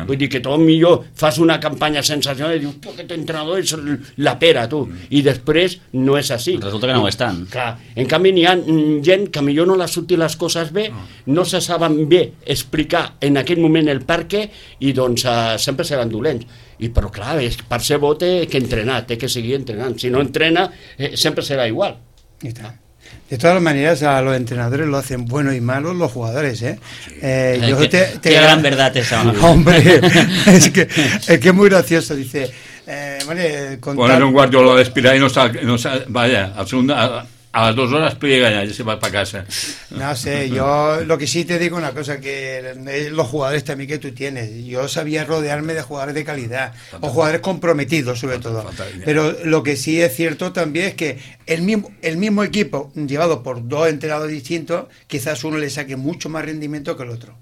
Speaker 4: vull dir que tot millor fas una campanya sensacional i dius, aquest entrenador és la pera, tu, i després no és així.
Speaker 1: Resulta que no ho és tant.
Speaker 4: Clar, en canvi n'hi ha gent que millor no les surti les coses bé, no se saben bé explicar en aquell moment el per què i doncs sempre seran dolents. Però clar, per ser bo té que entrenar, té que seguir entrenant. Si no entrena, sempre será igual.
Speaker 3: De todas maneras, a los entrenadores lo hacen buenos y malos los jugadores, ¿eh?
Speaker 1: Qué gran verdad esa.
Speaker 3: Hombre, es que es muy gracioso, dice...
Speaker 2: Poner un Guardiola de Espirall y no vaya, al segundo... A las 2 horas pliega ya se va para casa.
Speaker 3: No sé, yo lo que sí te digo una cosa, que los jugadores también que tú tienes, yo sabía rodearme de jugadores de calidad, o jugadores comprometidos sobre todo, pero lo que sí es cierto también es que el mismo equipo, llevado por 2 entrenadores distintos, quizás uno le saque mucho más rendimiento que el otro.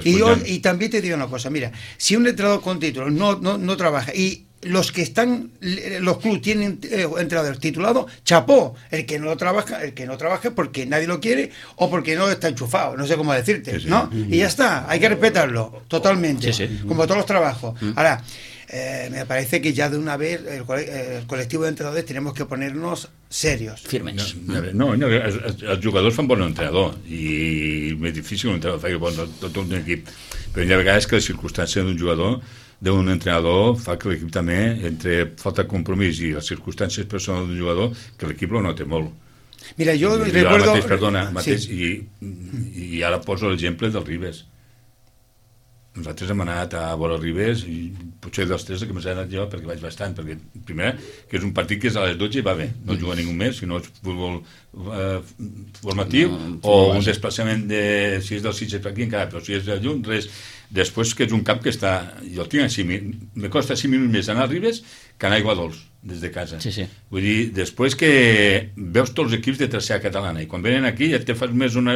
Speaker 3: Y también te digo una cosa, mira, si un entrenador con títulos no trabaja y los clubes tienen entrenadores titulados, chapó. El que no trabaja porque nadie lo quiere o porque no está enchufado, no sé cómo decirte, ¿no? Y ya está, hay que respetarlo totalmente, como todos los trabajos. Ahora, me parece que ya de una vez el colectivo de entrenadores tenemos que ponernos serios.
Speaker 1: Firmes.
Speaker 2: No, els jugadors fan bon entrenador i és difícil un entrenador faci bon tot un equip, però hi ha vegades que la circumstància d'un jugador, d'un entrenador, fa que l'equip també, entre falta de compromís i les circumstàncies personals d'un jugador, que l'equip lo nota molt.
Speaker 3: Mira, jo recuerdo...
Speaker 2: I ara poso l'exemple del Ribes. Nosaltres hem anat a veure Ribes i potser dels 3 que m'he anat jo perquè vaig bastant, perquè primer que és un partit que és a les 12 i va bé, no juga ningú més, sinó és futbol formatiu o un desplaçament de, si és del Sitges per aquí encara, però si és de lluny, res. Després que és un camp que està, jo el tinc a 5 minuts, me costa 5 minuts més anar a Ribes que anar a Aiguadols des de casa. Vull dir, després que veus tots els equips de tercera catalana i quan venen aquí ja te fas més una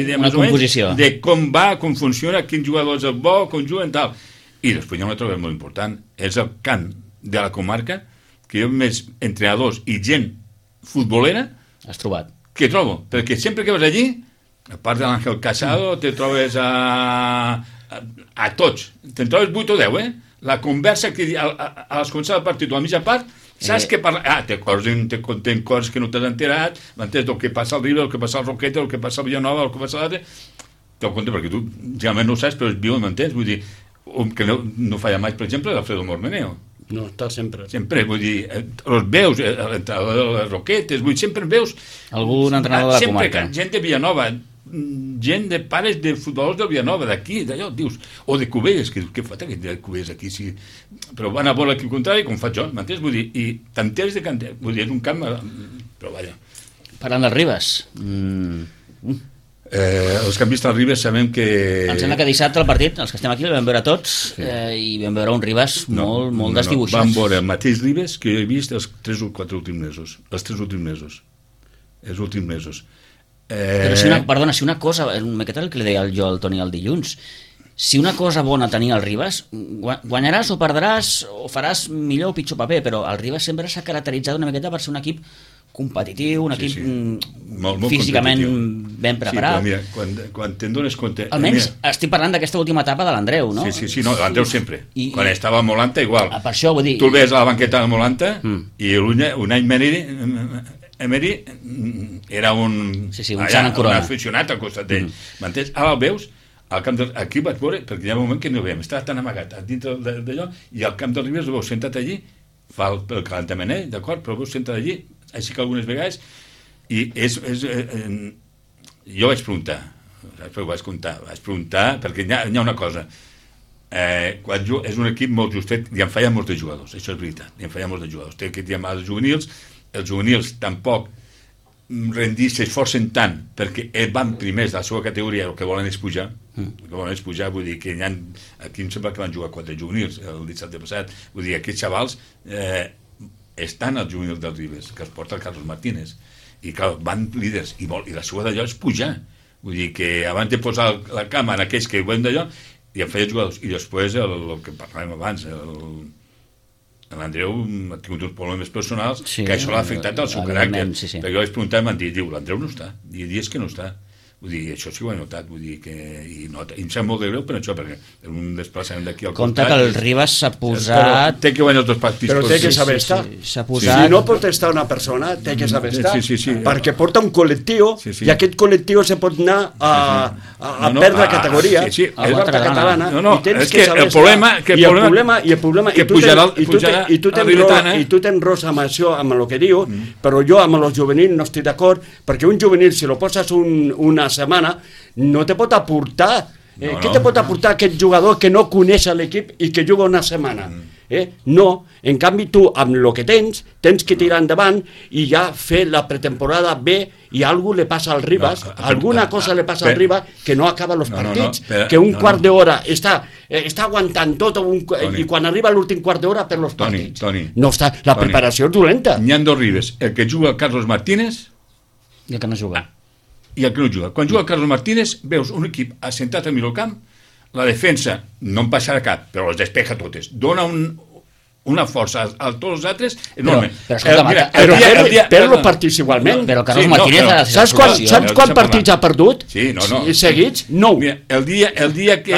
Speaker 2: idea més o menys de com va, com funciona, quin jugador és el bo, com juguen, tal. I després hi ha una altra cosa molt important, és el cant de la comarca, que jo més entrenadors i gent futbolera
Speaker 1: has trobat.
Speaker 2: Que trobo, perquè sempre que vas allí, a part de l'Àngel Casado, te trobes a tots, te'n trobes 8 o 10, la conversa que a les començades del partit o a mitja part Saps què parla? Té coses que no t'has enterat, m'entens? El que passa al River, el que passa al Roqueta, el que passa al Villanova, el que passa a l'altre... Te'l compte, perquè tu realment no ho saps, però es viu, m'entens? Vull dir, que no falla mai, per exemple, l'Alfredo Mormeneo.
Speaker 4: No, està sempre.
Speaker 2: Sempre, vull dir, els veus, l'entrenador de les Roquetes, vull dir, sempre veus...
Speaker 1: Algun entrenador de la comarca.
Speaker 2: Sempre gent de Villanova, gent de pares de futbolors del Villanova, d'aquí, d'allò, dius, o de Cubelles, que fa aquest de Cubelles aquí, sí, però van a veure l'equip contrari, com faig jo, m'entens? Vull dir, i t'entens de canter, vull dir, és un camp, però vaja.
Speaker 1: Parlant del Ribas,
Speaker 2: els que han vist el Ribas sabem que...
Speaker 1: Em sembla que dissabte el partit, els que estem aquí, el vam veure tots, i vam veure un Ribas molt desdibuixat.
Speaker 2: Vam veure el mateix Ribas que he vist els 3 o 4 últims mesos. Els 3 últims mesos. Els últims mesos.
Speaker 1: Però si una cosa, una miqueta el que li deia jo al Toni el dilluns, si una cosa bona tenia el Ribas, guanyaràs o perdràs o faràs millor o pitjor paper, però el Ribas sempre s'ha caracteritzat una miqueta per ser un equip competitiu, un equip
Speaker 2: molt
Speaker 1: físicament ben preparat.
Speaker 2: Sí, però mira, quan te'n dones compte...
Speaker 1: Almenys estic parlant d'aquesta última etapa de l'Andreu, no?
Speaker 2: Sí, no, l'Andreu sempre. Quan estava a Molanta, igual.
Speaker 1: Per això, vull dir...
Speaker 2: Tu el veies a la banqueta de Molanta i un any Emery era un aficionat al costat d'ell. M'entens? Ara el veus, al camp aquí vaig veure, perquè hi ha un moment que no veiem, estava tan amagat dintre d'allò, i al camp del Ribas el veus sentat allí, fa el calentament, d'acord, però el veus sentat allí, així que algunes vegades, i jo vaig preguntar, perquè hi ha una cosa, quan és un equip molt justet, i en falla molts de jugadors, això és veritat, i en falla molts de jugadors, té que dir amb els juvenils tampoc s'esforcen tant perquè van primers de la seva categoria, el que volen és pujar, vull dir que aquí em sembla que van jugar 4 juvenils el dissabte passat, vull dir, aquests xavals estan als juvenils del Ribas, que els porta el Carlos Martínez, i clar, van líders, i la seva d'allò és pujar, vull dir que abans de posar la cama en aquells que veuen d'allò, i en feia jugadors, i després el que parlàvem abans, l'Andreu ha tingut uns problemes personals que això l'ha afectat al seu caràcter, perquè jo vaig preguntar i m'han dit, l'Andreu no està, hi ha dies que no està, vull dir, això sí ho he notat, vull dir que i em sap molt de greu per això, perquè és un desplaçament d'aquí al
Speaker 1: costat. Compte que el Ribas s'ha posat...
Speaker 2: Té que guanyar els 2 partits.
Speaker 4: Però té que saber estar. Si no pot estar una persona, té que saber estar, perquè porta un col·lectiu i aquest col·lectiu se pot anar a perdre categoria a la catalana i tens que saber estar. I el problema i tu tens rosa amb això, amb el que diu, però jo amb els juvenils no estic d'acord, perquè un juvenil, si lo poses una setmana, no te pot aportar. Què te pot aportar aquest jugador que no coneix l'equip i que juga una setmana? No, en canvi tu amb el que tens que tirar endavant i ja fer la pretemporada bé, i alguna li passa al Ribas, alguna cosa li passa al Ribas que no acaba els partits, que un quart d'hora està aguantant tot i quan arriba l'últim quart d'hora per els partits. No està, la preparació és dolenta.
Speaker 2: N'hi ha 2 Ribas, el que juga Carlos Martínez
Speaker 1: i el que no juga.
Speaker 2: Quan juga Carlos Martínez veus un equip assentat al mig del camp, la defensa no en passarà cap, però les despeja totes, dona una força a tots els altres enorme.
Speaker 4: Però els partits igualment.
Speaker 1: Però Carlos Martínez
Speaker 4: saps quants partits ha perdut? Seguits? 9.
Speaker 2: El dia que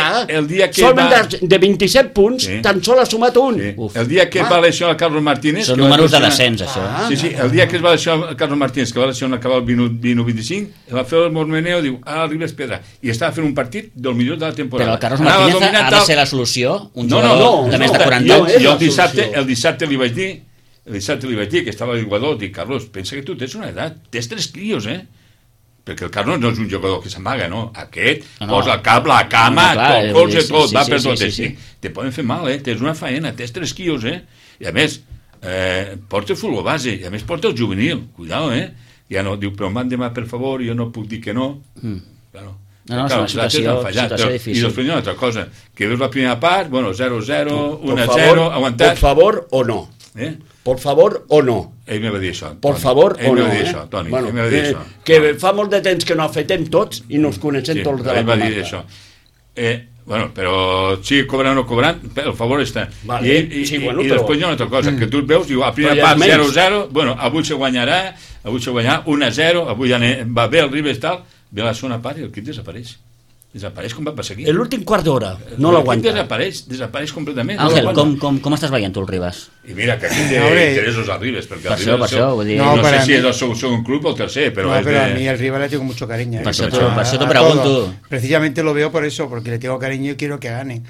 Speaker 4: solament de 27 punts tan sol ha sumat un.
Speaker 2: El dia que va lesionar Carlos Martínez,
Speaker 1: són números de descens, això.
Speaker 2: El dia que es va lesionar Carlos Martínez, que va lesionar acabar el 20-25, el va fer el Mormeneo, diu, Ribas Pedra, i estava fent un partit del millor de la temporada.
Speaker 1: Però el Carlos Martínez ha de ser la solució, un jugador de més de 40 anys.
Speaker 2: El dissabte li vaig dir que estava al jugador, dic, Carlos, pensa que tu tens una edat, tens 3 crios, perquè el Carlos no és un jugador que s'amaga, no? Aquest posa el cap, la cama, tot, va per totes. Te poden fer mal, tens una faena, tens 3 crios, i a més, porta el futbol base, i a més porta el juvenil, cuidao, ja no, diu, però m'han demanat per favor, jo no puc dir que no, claro.
Speaker 1: No, és una situació difícil.
Speaker 2: I després hi ha una altra cosa, que veus la primera part, 0-0, 1-0, aguantat.
Speaker 4: Por favor o no. Por favor o no.
Speaker 2: Ell me va dir això.
Speaker 4: Por favor o no.
Speaker 2: Toni, ell me va dir això.
Speaker 4: Que fa molt de temps que no afetem tots i nos coneixem tots de la comarca.
Speaker 2: Ell va dir això. Però sigui cobrant o no cobrant, el favor està. I després hi ha una altra cosa, que tu et veus, diu, a primera part 0-0, avui se guanyarà 1-0, avui ja va bé el Ribas tal, ve la segona part i el equip desapareix. Desapareix com va passar aquí.
Speaker 4: L'últim quart d'hora, no l'aguanta.
Speaker 2: Desapareix completament.
Speaker 1: Àngel, com estàs veient tu el Ribas?
Speaker 2: I mira, que aquí té interessos al Ribas, perquè
Speaker 1: per això, vull dir...
Speaker 2: No sé si és el segon club o el tercer, pero...
Speaker 3: No, pero a mí el Ribas le tengo mucho cariño.
Speaker 1: Por eso te pregunto.
Speaker 3: Precisamente lo veo por eso, porque le tengo cariño y quiero que gane.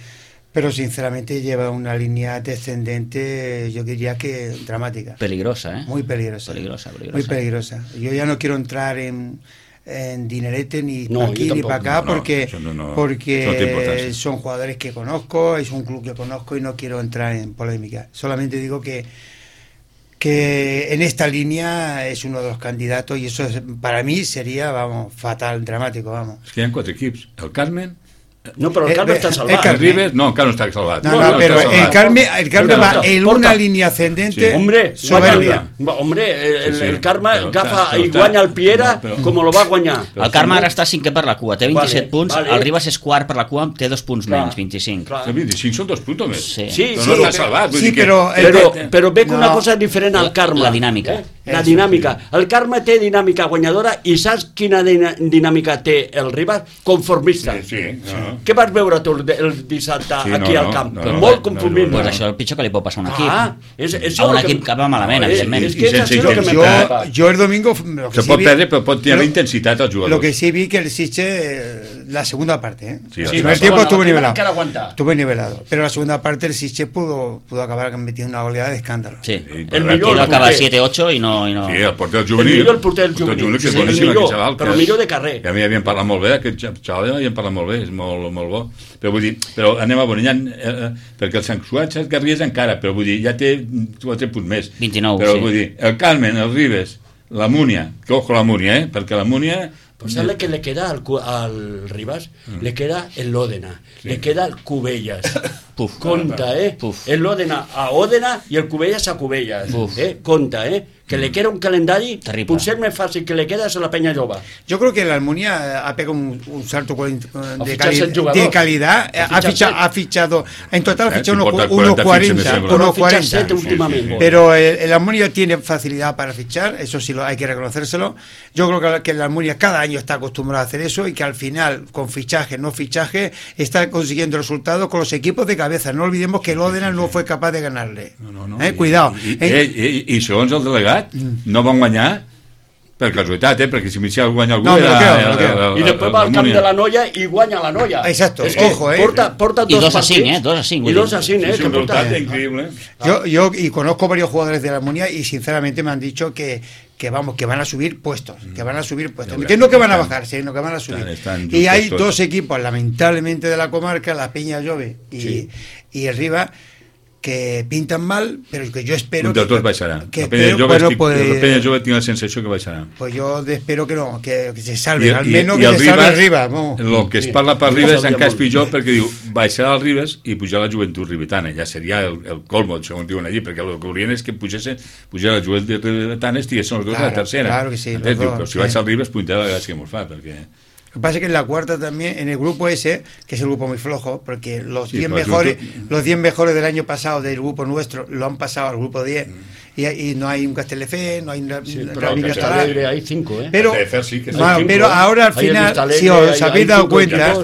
Speaker 3: Pero sinceramente lleva una línea descendente, yo diría que dramática.
Speaker 1: Peligrosa, ¿eh?
Speaker 3: Muy peligrosa. Muy peligrosa. Yo ya no quiero entrar en dinerete ni para aquí ni para acá, porque son jugadores que conozco, es un club que conozco y no quiero entrar en polémica. Solamente digo que en esta línea es uno de los candidatos y eso para mí sería, fatal, dramático, vamos.
Speaker 2: Es que hi ha 4 equips, el Carmen...
Speaker 4: No, però el Carme està salvat.
Speaker 2: El Ribas, no, el Carme està salvat.
Speaker 3: No, pero el Carme va en una línea ascendente.
Speaker 4: Soberbia. Hombre, el Carme agafa i guanya el Piera com lo va guanyar.
Speaker 1: El Carme ara està 5è per la cua, té 27 punts, el Ribas és quart per la cua, té 2 punts menys, 25.
Speaker 2: 25 són 2 punts més.
Speaker 1: Sí,
Speaker 2: però no està salvat.
Speaker 3: Sí,
Speaker 4: però veig una cosa diferent al Carme.
Speaker 1: La dinàmica.
Speaker 4: La dinàmica. El Carme té dinàmica guanyadora i saps quina dinàmica té el Ribas? Conformista.
Speaker 2: Sí.
Speaker 4: Què vas veure tu el dissabte aquí al camp? Molt conformista.
Speaker 1: Pues això és el pitjor que li pot passar a un equip.
Speaker 4: A
Speaker 1: un equip que va malament, evidentment.
Speaker 3: Yo el domingo...
Speaker 2: Se pot perdre, però pot tenir la intensitat als jugadors.
Speaker 3: Lo que sí vi que el Sitges, la segunda parte,
Speaker 2: el
Speaker 3: primer tiempo estuvo nivelado. Pero la segunda parte el Sitges pudo acabar metiendo una oleada de escándalo.
Speaker 1: Sí, el millor acaba 7-8 i no...
Speaker 2: Sí, el porter juvenil.
Speaker 4: El porter juvenil,
Speaker 2: que és boníssim, aquest xaval.
Speaker 4: Però millor de carrer.
Speaker 2: Que a mi havien parlat molt bé, aquest xaval havien parlat molt bé, és molt bo. Però anem a Boninyà, perquè el Sant Cugat Garrigues encara, però vull dir, ja té 4 punts més.
Speaker 1: 29,
Speaker 2: però vull dir, el Carmen, el Ribas, la Múnia, que ojo la Múnia, perquè la Múnia...
Speaker 4: Pues sabe que le queda al Ribas, le queda el Òdena, le queda el Cubellas. Conta, el Òdena a Òdena i el Cubellas a Cubellas. Conta, que le queda un calendari, potser més fàcil que le queda a la Peña Lloba.
Speaker 3: Yo creo que la Almunia ha pegado un salto de calidad. Ha fichado, en total ha fichado unos 40
Speaker 4: últimamente.
Speaker 3: Pero el Almunia tiene facilidad para fichar, eso sí hay que reconocérselo. Yo creo que el Almunia cada año está acostumbrado a hacer eso y que al final, con fichaje, no fichaje, está consiguiendo resultados con los equipos de cabeza. No olvidemos que el Òdena no fue capaz de ganarle. Cuidado.
Speaker 2: I segons el delegat, no van guanyar per casualitat, perquè si Michel guanya algú
Speaker 4: i després va al camp de la Noia i guanya la Noia.
Speaker 3: Exacto,
Speaker 4: ojo, porta
Speaker 1: i 2-5, 2-5.
Speaker 4: I 2-5,
Speaker 2: és un resultat increïble.
Speaker 3: Yo conozco varios jugadores de la Almunia y sinceramente me han dicho que van a subir puestos, que no que van a bajar, sino que van a subir. Y hay 2 equipos, lamentablemente, de la comarca, la Peña Llove y el Ribas, que pintan mal, però que jo espero...
Speaker 2: Un de tots baixarà. La Peña Llove tinc la sensació que baixarà.
Speaker 3: Pues yo espero que no, que se salve, almenys que se salve el Ribas.
Speaker 2: El que es parla per Ribas encara és pitjor, perquè diu, baixarà el Ribas i pujarà la joventut ribetana. Ja seria el colmo, segons diuen allí, perquè el que volien és que pujar la joventut ribetana estiguessin els dos a la tercera.
Speaker 3: Claro que sí.
Speaker 2: Però si baixa el Ribas, pujarà la gràcia que mos fa, perquè...
Speaker 3: Lo que pasa es que en la cuarta también, en el grupo ese, que es el grupo muy flojo, porque los 10 mejores del año pasado del grupo nuestro lo han pasado al grupo 10, y no hay un Castelldefels, no hay un
Speaker 4: Castelldefels, hay 5,
Speaker 3: pero ahora al final, si os habéis dado cuenta,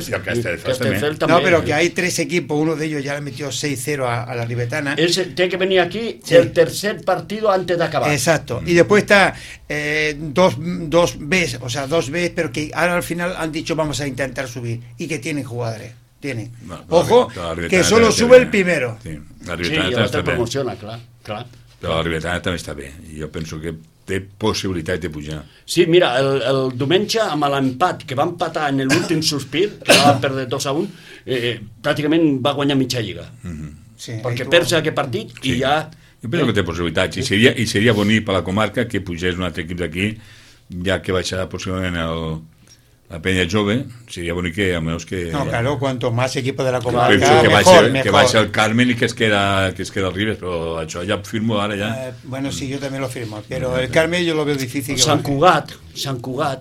Speaker 3: pero que hay 3 equipos, uno de ellos ya le metió 6-0 a la ribetana.
Speaker 4: Tiene que venir aquí el tercer partido antes de acabar.
Speaker 3: Exacto, y después está 2 Bs, o sea, 2 Bs, pero que ahora al final han dicho vamos a intentar subir, y que tienen jugadores. Ojo, que solo sube el primero.
Speaker 4: Sí, ja te promociona, clar.
Speaker 2: Però la ribetana també està bé, i jo penso que té possibilitat de pujar.
Speaker 4: Sí, mira, el diumenge amb l'empat que va empatar en l'últim sospir, que va perdre 2-1, pràcticament va guanyar mitja lliga. Perquè perds aquest partit i ja...
Speaker 2: Jo penso que té possibilitats, i seria bonic per la comarca que pugés un altre equip d'aquí, ja que baixarà possiblement la Peña Jove, sería bonito que a menos que...
Speaker 3: No, claro, cuanto más equipos de la comarca,
Speaker 2: mejor. Que vaya el Carmen y que es queda el Ribas, pero això ja firmo ara ja.
Speaker 3: Bueno, sí, yo también lo firmo, pero el Carmen yo lo veo difícil.
Speaker 4: Sant Cugat.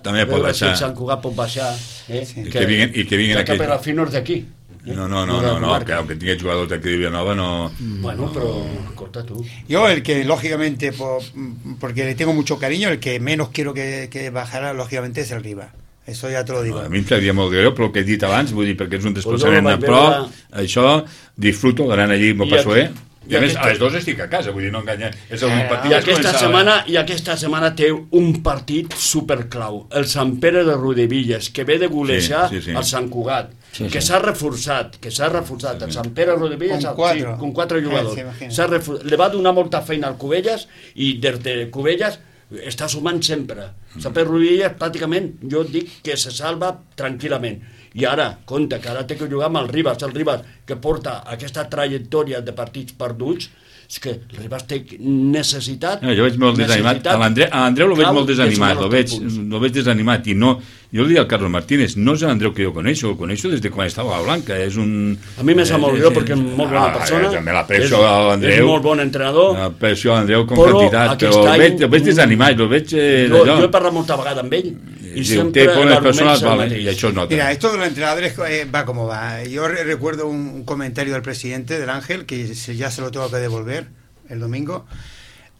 Speaker 2: També pot baixar.
Speaker 4: Sant Cugat pot baixar.
Speaker 2: I que vinguin
Speaker 4: aquells. Que per al finors d'aquí.
Speaker 2: No, que aunque tenga jugadores de aquí de Villanova no...
Speaker 4: Bueno, pero corta tú.
Speaker 3: Yo el que lógicamente, porque le tengo mucho cariño, el que menos quiero que bajara lógicamente es el Ribas. Eso ya te lo digo.
Speaker 2: A mi em sabia molt greu, però el que he dit abans, vull dir, perquè és un desplaçament a prop, això, disfruto, d'anar allí, m'ho passo bé. I a més, a les 2 estic a casa, vull dir, no enganya. És el partit.
Speaker 4: I aquesta setmana té un partit superclau, el Sant Pere de Rodevilles, que ve de golejar el Sant Cugat, que s'ha reforçat, el Sant Pere de Rodevilles con 4 jugadors. Le va donar molta feina al Cubelles i des de Cubelles està sumant sempre. Sant Pere de Rodevilles pràcticament, jo dic que se salva tranquil·lament. I ara, compte, que ara té que jugar amb el Ribas que porta aquesta trajectòria de partits perduts, és que el Ribas té necessitat...
Speaker 2: Jo veig molt desanimat, a l'Andreu lo veig molt desanimat, lo veig desanimat, i no, jo li dic al Carlos Martínez, no és l'Andreu que jo coneixo, des de quan estava a la Blanca, és un...
Speaker 4: A mi me sap molt greu perquè és molt bona persona, és molt bon entrenador,
Speaker 2: l'aprecio a l'Andreu com quantitat, però el veig desanimat, el veig...
Speaker 4: Jo he parlat molta vegada amb ell, y siempre
Speaker 2: y eso nota.
Speaker 3: Mira, esto de los entrenadores va como va. Yo recuerdo un comentario del presidente del Ángel, que ya se lo tengo que devolver el domingo.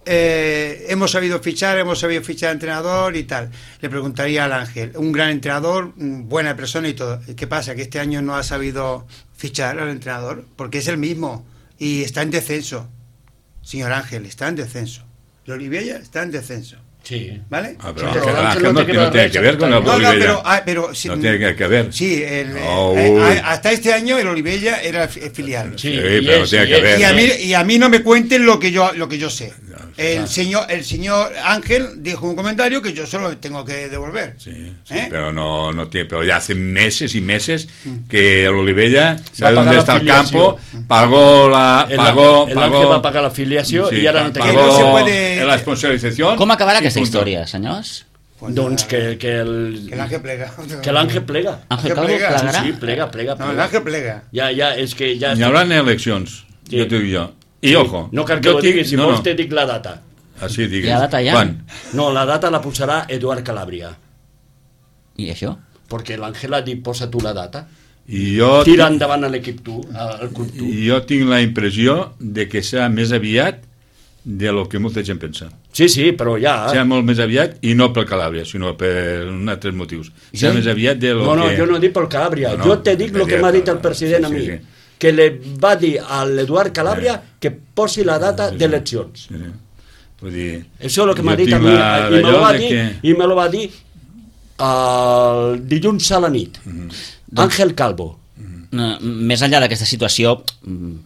Speaker 3: Hemos sabido fichar entrenador y tal. Le preguntaría al Ángel, un gran entrenador, buena persona y todo. ¿Qué pasa? Que este año no ha sabido fichar al entrenador, porque es el mismo y está en descenso. Señor Ángel, está en descenso. El Olivella está en descenso.
Speaker 4: Sí.
Speaker 3: ¿Vale?
Speaker 2: Pero Ángel no tiene que ver con el Olivella.
Speaker 3: Pero
Speaker 2: no tiene que ver.
Speaker 3: Sí, hasta este año el Olivella era el filial.
Speaker 2: Sí, pero no tiene que ver.
Speaker 3: Y a mí no me cuenten lo que yo sé. El señor Ángel dijo un comentario que yo solo tengo que devolver.
Speaker 2: Sí, pero no tiene, pero ya hace meses y meses que el Olivella sabe dónde está el campo, pagó
Speaker 4: el Ángel va pagar la filiació i ara no té que
Speaker 2: no se puede la sponsorizació.
Speaker 1: Com acabarà aquesta història, senyors?
Speaker 4: Doncs que
Speaker 3: l'Àngel plega.
Speaker 4: Que l'Àngel plega.
Speaker 1: Àngel Calvo plegarà?
Speaker 4: Sí, plega.
Speaker 3: No, l'Àngel plega.
Speaker 4: Ja, és que ja...
Speaker 2: Hi haurà eleccions, jo t'ho dic jo. I ojo.
Speaker 4: No cal que ho diguis, si vols te dic la data.
Speaker 2: Així digues.
Speaker 1: La data ja?
Speaker 2: Quan?
Speaker 4: No, la data la posarà Eduard Calabria.
Speaker 1: I això?
Speaker 4: Perquè l'Àngel ha dit, posa tu la data.
Speaker 2: Tira
Speaker 4: endavant a l'equip al club tu.
Speaker 2: Jo tinc la impressió de que serà més aviat de lo que molta gent pensa.
Speaker 4: Sí, però ja...
Speaker 2: Serà molt més aviat, i no per Calàbria, sinó per altres motius. Serà més aviat de lo que...
Speaker 4: No, jo no dic per Calàbria. Jo te dic el que m'ha dit el president a mi. Que li va dir a l'Eduard Calàbria que posi la data d'eleccions.
Speaker 2: Vull dir...
Speaker 4: Això és el que m'ha dit a mi, i me lo va dir el dilluns a la nit. Àngel Calvo.
Speaker 1: Més enllà d'aquesta situació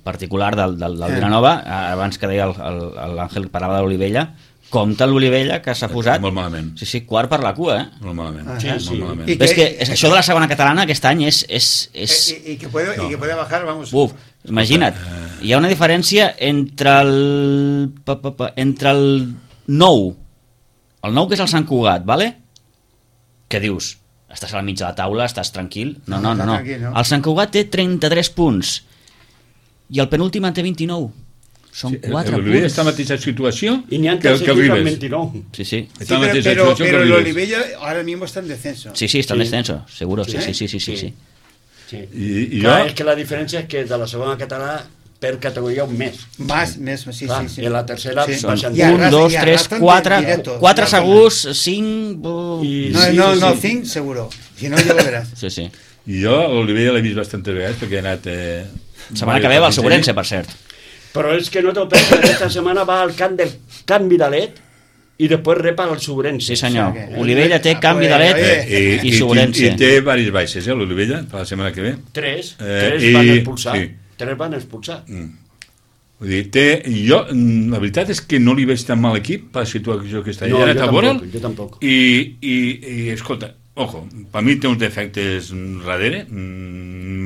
Speaker 1: particular del Vilanova, abans que deia l'Àngel, parlava de l'Olivella, compta l'Olivella que s'ha posat
Speaker 2: molt malament.
Speaker 1: Sí, quart per la cua,
Speaker 2: molt malament.
Speaker 4: Molt malament.
Speaker 1: Però és que això de la segona catalana aquest any és...
Speaker 3: I que puede bajar, vamos.
Speaker 1: Imagina't, hi ha una diferència entre el 9, el 9 que és el Sant Cugat, ¿vale? Que dius, estàs al mig de la taula, estàs tranquil? No. El Sant Cugat té 33 punts i el penúltim en té 29. Són 4 punts.
Speaker 2: L'Olivella està en la mateixa situació
Speaker 4: que el Ribes.
Speaker 1: Sí.
Speaker 3: Pero el Olivella ahora mismo está en descenso.
Speaker 1: Sí, está en descenso, seguro. Sí.
Speaker 4: Clar, és que la diferència és que de la segona catalana per categoria un mes.
Speaker 3: Sí.
Speaker 4: I la tercera baixant.
Speaker 1: 1, 2, 3, 4 segurs, 5...
Speaker 3: No, 5 seguro. Si no, ja ho veràs.
Speaker 1: Sí.
Speaker 2: I jo l'Olivella l'he vist bastantes vegades perquè he anat...
Speaker 1: Setmana que ve va al Segurense, per cert.
Speaker 4: Però és que no t'ho penses, aquesta setmana va al camp del Can Vidalet i després repa al Segurense.
Speaker 1: Sí, senyor. Olivella té Can Vidalet i Segurense.
Speaker 2: I té diverses baixes, l'Olivella, per la setmana que ve.
Speaker 4: 3 van expulsar. 3 van expulsar.
Speaker 2: Vull dir, jo, la veritat és que no li veig tan mal equip per la situació que està.
Speaker 4: No, jo tampoc.
Speaker 2: I escolta, ojo, per mi té uns defectes darrere,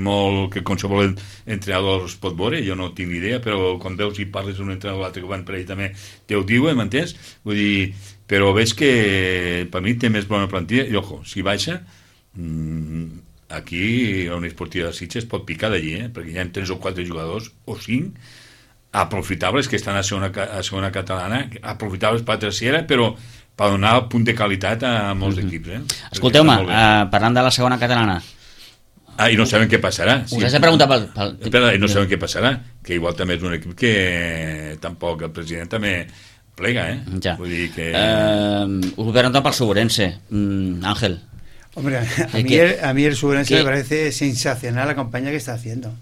Speaker 2: molt que qualsevol entrenador es pot veure, jo no tinc ni idea, però quan veus i parles d'un entrenador l'altre que van per ell també te ho diuen, m'entens? Vull dir, però veig que per mi té més bona plantilla i ojo, si baixa aquí a una esportiva de Sitges pot picar d'allí, perquè hi ha 3 o 4 jugadors o 5 aprofitables que estan a segona catalana, aprofitables per la tercera, però per donar el punt de qualitat a molts equips.
Speaker 1: Escolteu-me, parlant de la segona catalana,
Speaker 2: i no sabem què passarà.
Speaker 1: Us has de preguntar pel...
Speaker 2: Espera, i no sabem què passarà, que igual també és un equip que tampoc el president també plega,
Speaker 1: Ja.
Speaker 2: Vull dir que...
Speaker 1: us ho pregunto pel Segurense, Àngel.
Speaker 3: Hombre, a mí el Subrense me parece sensacional la campaña que está haciendo.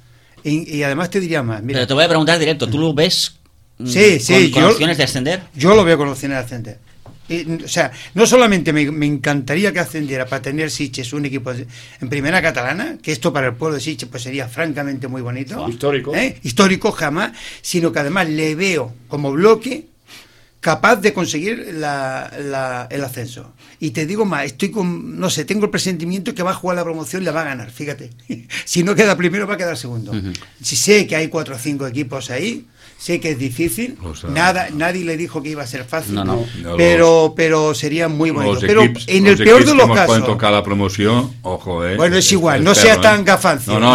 Speaker 3: Y además te diría más. Mira,
Speaker 1: pero te voy a preguntar directo, ¿tú lo ves con opciones de ascender?
Speaker 3: Yo lo veo con opciones de ascender. O sea, no solamente me encantaría que ascendiera para tener Sitges un equipo en primera catalana, que esto para el pueblo de Sitges pues sería francamente muy bonito, histórico jamás, sino que además le veo como bloque capaz de conseguir el ascenso. Y te digo más, tengo el presentimiento que va a jugar la promoción y la va a ganar, fíjate. Si no queda primero, va a quedar segundo. Si sé que hay 4 o 5 equipos ahí, sé que es difícil, nadie le dijo que iba a ser fácil, pero sería muy bonito. Pero en el peor de los casos
Speaker 2: pueden tocar la promoción, ojo,
Speaker 3: bueno, es igual, no seas tan gafancio.
Speaker 2: No,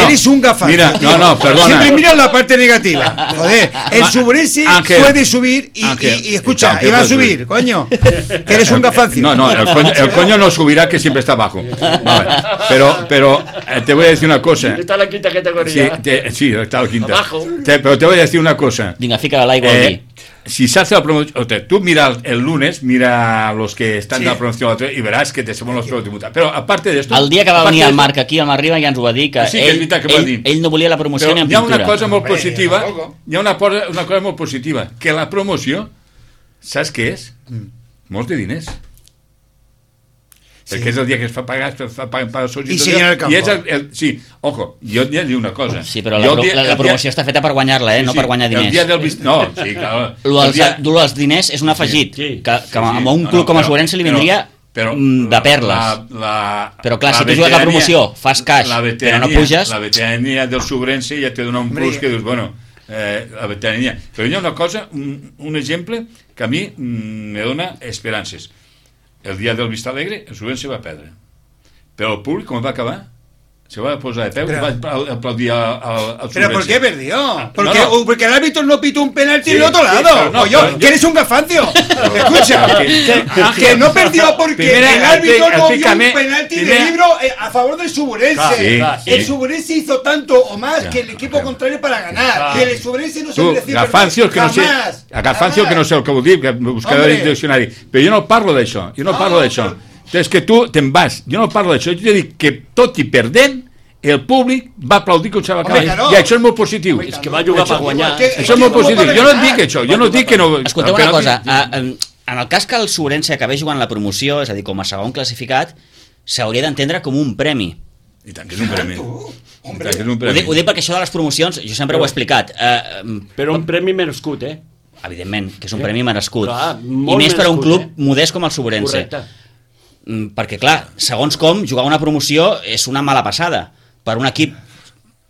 Speaker 3: eres un gafancio.
Speaker 2: Mira, perdona.
Speaker 3: Siempre miras la parte negativa. Joder, el Subrense puede subir y escucha, y va a subir, coño. Que eres un gafancio.
Speaker 2: No, el coño no subirá, que siempre está abajo. Vale. Pero te voy a decir una cosa.
Speaker 4: Está la quinta categoría.
Speaker 2: Sí, está la quinta.
Speaker 4: Abajo.
Speaker 2: Pero te voy a decir una cosa.
Speaker 1: Vinga, fica l'aigua aquí.
Speaker 2: Si se hace la promoción, tú mira el lunes, mira los que están de la promoción y verás que te somos los promociones. Pero aparte de esto,
Speaker 1: el dia que va venir el Marc aquí al Marriba ja ens ho va dir, que ell no volia la promoció ni en pintura.
Speaker 2: Hi ha una cosa molt positiva, una cosa molt positiva, que la promoció, saps què és? Molts de diners. Perquè és el dia que es fa pagar els socis.
Speaker 3: I senyora del campo.
Speaker 2: Sí, ojo, jo et dic una cosa.
Speaker 1: Sí, però la promoció està feta per guanyar-la, no per guanyar diners.
Speaker 2: El dia del no, sí, clar.
Speaker 1: Lo dels diners és un afegit, que a un club com el Subrense li vindria de perles. Però clar, si tu jugues la promoció, fas cash, però no puges...
Speaker 2: La veterania del Subrense ja te dona un plus que dius, bueno, la veterania. Però hi ha una cosa, un exemple que a mi me dona esperances. El dia del Vista Alegre, el Subrense va perdre. Però el públic, com va acabar, se va a posar de peu y va a aplaudir al Subrense.
Speaker 3: ¿Pero por qué perdió? Porque el árbitro no pitó un penalti del otro lado. Que eres un gafancio. Escucha, que no perdió porque el árbitro no vio un penalti de libro a favor del Subrense. El Subrense hizo tanto o más que el equipo contrario para ganar. Que el Subrense no se mereció
Speaker 2: jamás. Gafancio que no sé el que vol dir, que buscaré el diccionari. Però jo no parlo d'això. És que tu te'n vas, jo no parlo d'això, jo t'he dit que tot i perdent el públic va aplaudir com se va acabar, i això és molt positiu.
Speaker 4: És que va jugar per guanyar.
Speaker 2: Això és molt positiu, jo no et dic això, jo no et dic que no...
Speaker 1: Escolteu una cosa, en el cas que el Subrense acabés jugant la promoció, és a dir, com a segon classificat, s'hauria d'entendre com un premi.
Speaker 2: I tant que és un premi.
Speaker 1: Ho dic perquè això de les promocions, jo sempre ho he explicat.
Speaker 4: Però un premi merescut,
Speaker 1: Evidentment, que és un premi merescut. I més per a un club modest com el Subrense.
Speaker 4: Correcte.
Speaker 1: Perquè clar, segons com jugar una promoció és una mala passada per un equip,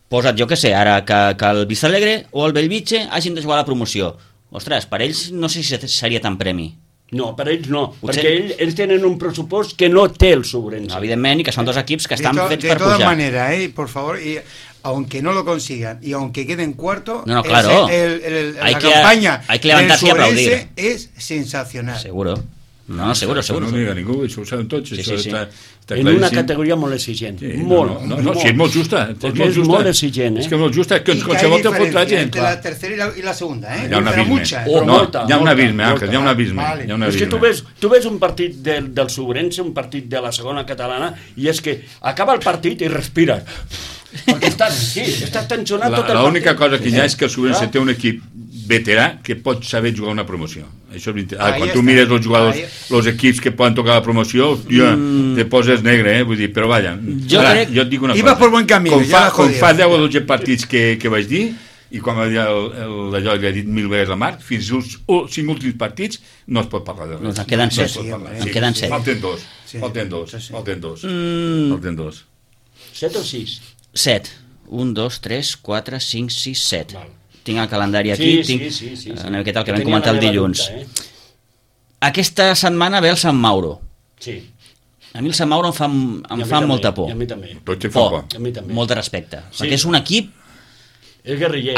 Speaker 1: posa't jo que sé ara, que el Vista Alegre o el Bellvitge hagin de jugar a la promoció. Ostres, per ells no sé si seria tan premi.
Speaker 4: No, per ells no, perquè ells tenen un pressupost que no té el Subrense.
Speaker 1: No, evidentment, i que són dos equips que estan fets per pujar.
Speaker 3: De todas maneras, por favor, y aunque no lo consigan y aunque queden cuarto,
Speaker 1: no, claro.
Speaker 3: La campaña
Speaker 1: del Subrense
Speaker 3: es sensacional.
Speaker 1: Seguro. No, seguro.
Speaker 2: No diga ningú, això ho saben tots.
Speaker 1: Sí.
Speaker 4: En una categoria molt exigent. Molt.
Speaker 2: Sí, és molt justa.
Speaker 4: És molt exigent.
Speaker 2: És que és molt justa, que qualsevol te fot la gent.
Speaker 3: Entre la tercera y la segunda,
Speaker 2: Hi ha un abisme. Hi ha un abisme, Àngel, hi ha un abisme.
Speaker 4: És que tu ves un partit del Subrense, un partit de la segona catalana, i és que acaba el partit i respires. Perquè estàs tensionat tot el partit.
Speaker 2: L'única cosa que hi ha és que el Subrense té un equip veterà que pot saber jugar una promoció. Això és quan tu mires els jugadors, els equips que poden tocar la promoció, te poses negre, vull dir, però vaja. Jo et dic una cosa.
Speaker 3: Ibas por buen camino.
Speaker 2: Com fa 10 o 12 partits que vaig dir, i quan va dir allò que he dit 1000 vegades a Marc, fins als 5 últims partits no es pot parlar de res.
Speaker 1: En queden 7.
Speaker 2: Falten dos.
Speaker 4: 7 o 6?
Speaker 1: 7. 1, 2, 3, 4, 5, 6, 7. Tinc el calendari aquí, tinc una miqueta el que vam comentar el dilluns. Aquesta setmana ve el Sant Mauro.
Speaker 4: Sí.
Speaker 1: A mi el Sant Mauro em fa molta por.
Speaker 4: I a mi també.
Speaker 1: Molt de respecte. Perquè és un equip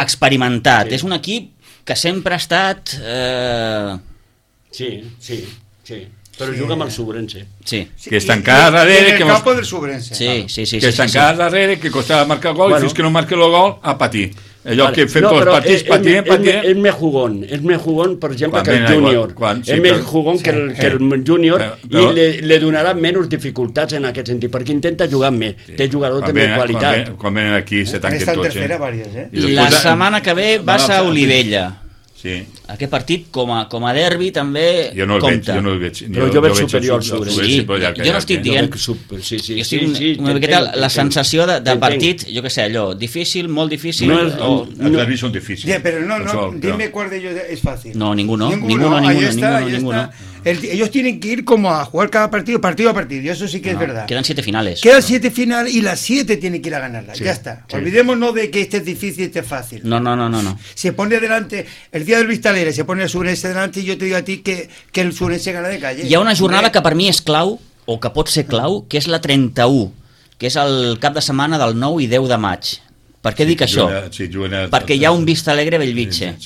Speaker 4: experimentat,
Speaker 1: és un equip que sempre ha estat...
Speaker 4: Sí. Però juga amb el Subrense.
Speaker 1: Sí.
Speaker 2: Que està encara darrere...
Speaker 3: En el campo del Subrense.
Speaker 1: Sí.
Speaker 2: Que està encara darrere, que costava marcar gol, i fins que no marca el gol, a patir. allò que fem tots els partits, patiem.
Speaker 4: És més jugón, per exemple, que el júnior. És més jugón que el júnior i li donarà menys dificultats en aquest sentit, perquè intenta jugar més. Té jugadors de més qualitat.
Speaker 2: Quan venen aquí se tanquen tots.
Speaker 1: La setmana que ve vas a Olivella.
Speaker 2: Sí.
Speaker 1: Aquest partit, com a derbi, també compta.
Speaker 2: Jo no el veig.
Speaker 4: Però jo veig superior al
Speaker 1: Sobrense. Jo no estic dient... Jo estic una miqueta la sensació de partit, jo què sé, allò, difícil, molt difícil...
Speaker 2: Els derbis són difícils.
Speaker 3: Però no, dime cuál de ellos es fácil.
Speaker 1: No, ninguno.
Speaker 3: Ellos tienen que ir como a jugar cada partido a partido, y eso sí que es verdad.
Speaker 1: Quedan 7 finales.
Speaker 3: Quedan 7 finales y las 7 tienen que ir a ganarlas, ya está. Olvidémonos de que este es difícil y este es fácil.
Speaker 1: No.
Speaker 3: Se pone delante, el día del Vista Alegre se pone el Sobrense delante y yo te digo a ti que el Sobrense gana de calle.
Speaker 1: Hi ha una jornada que per mi és clau, o que pot ser clau, que és la 31, que és el cap de setmana del 9 i 10 de maig. Per què dic això? Perquè hi ha un Vista Alegre Bellvitge.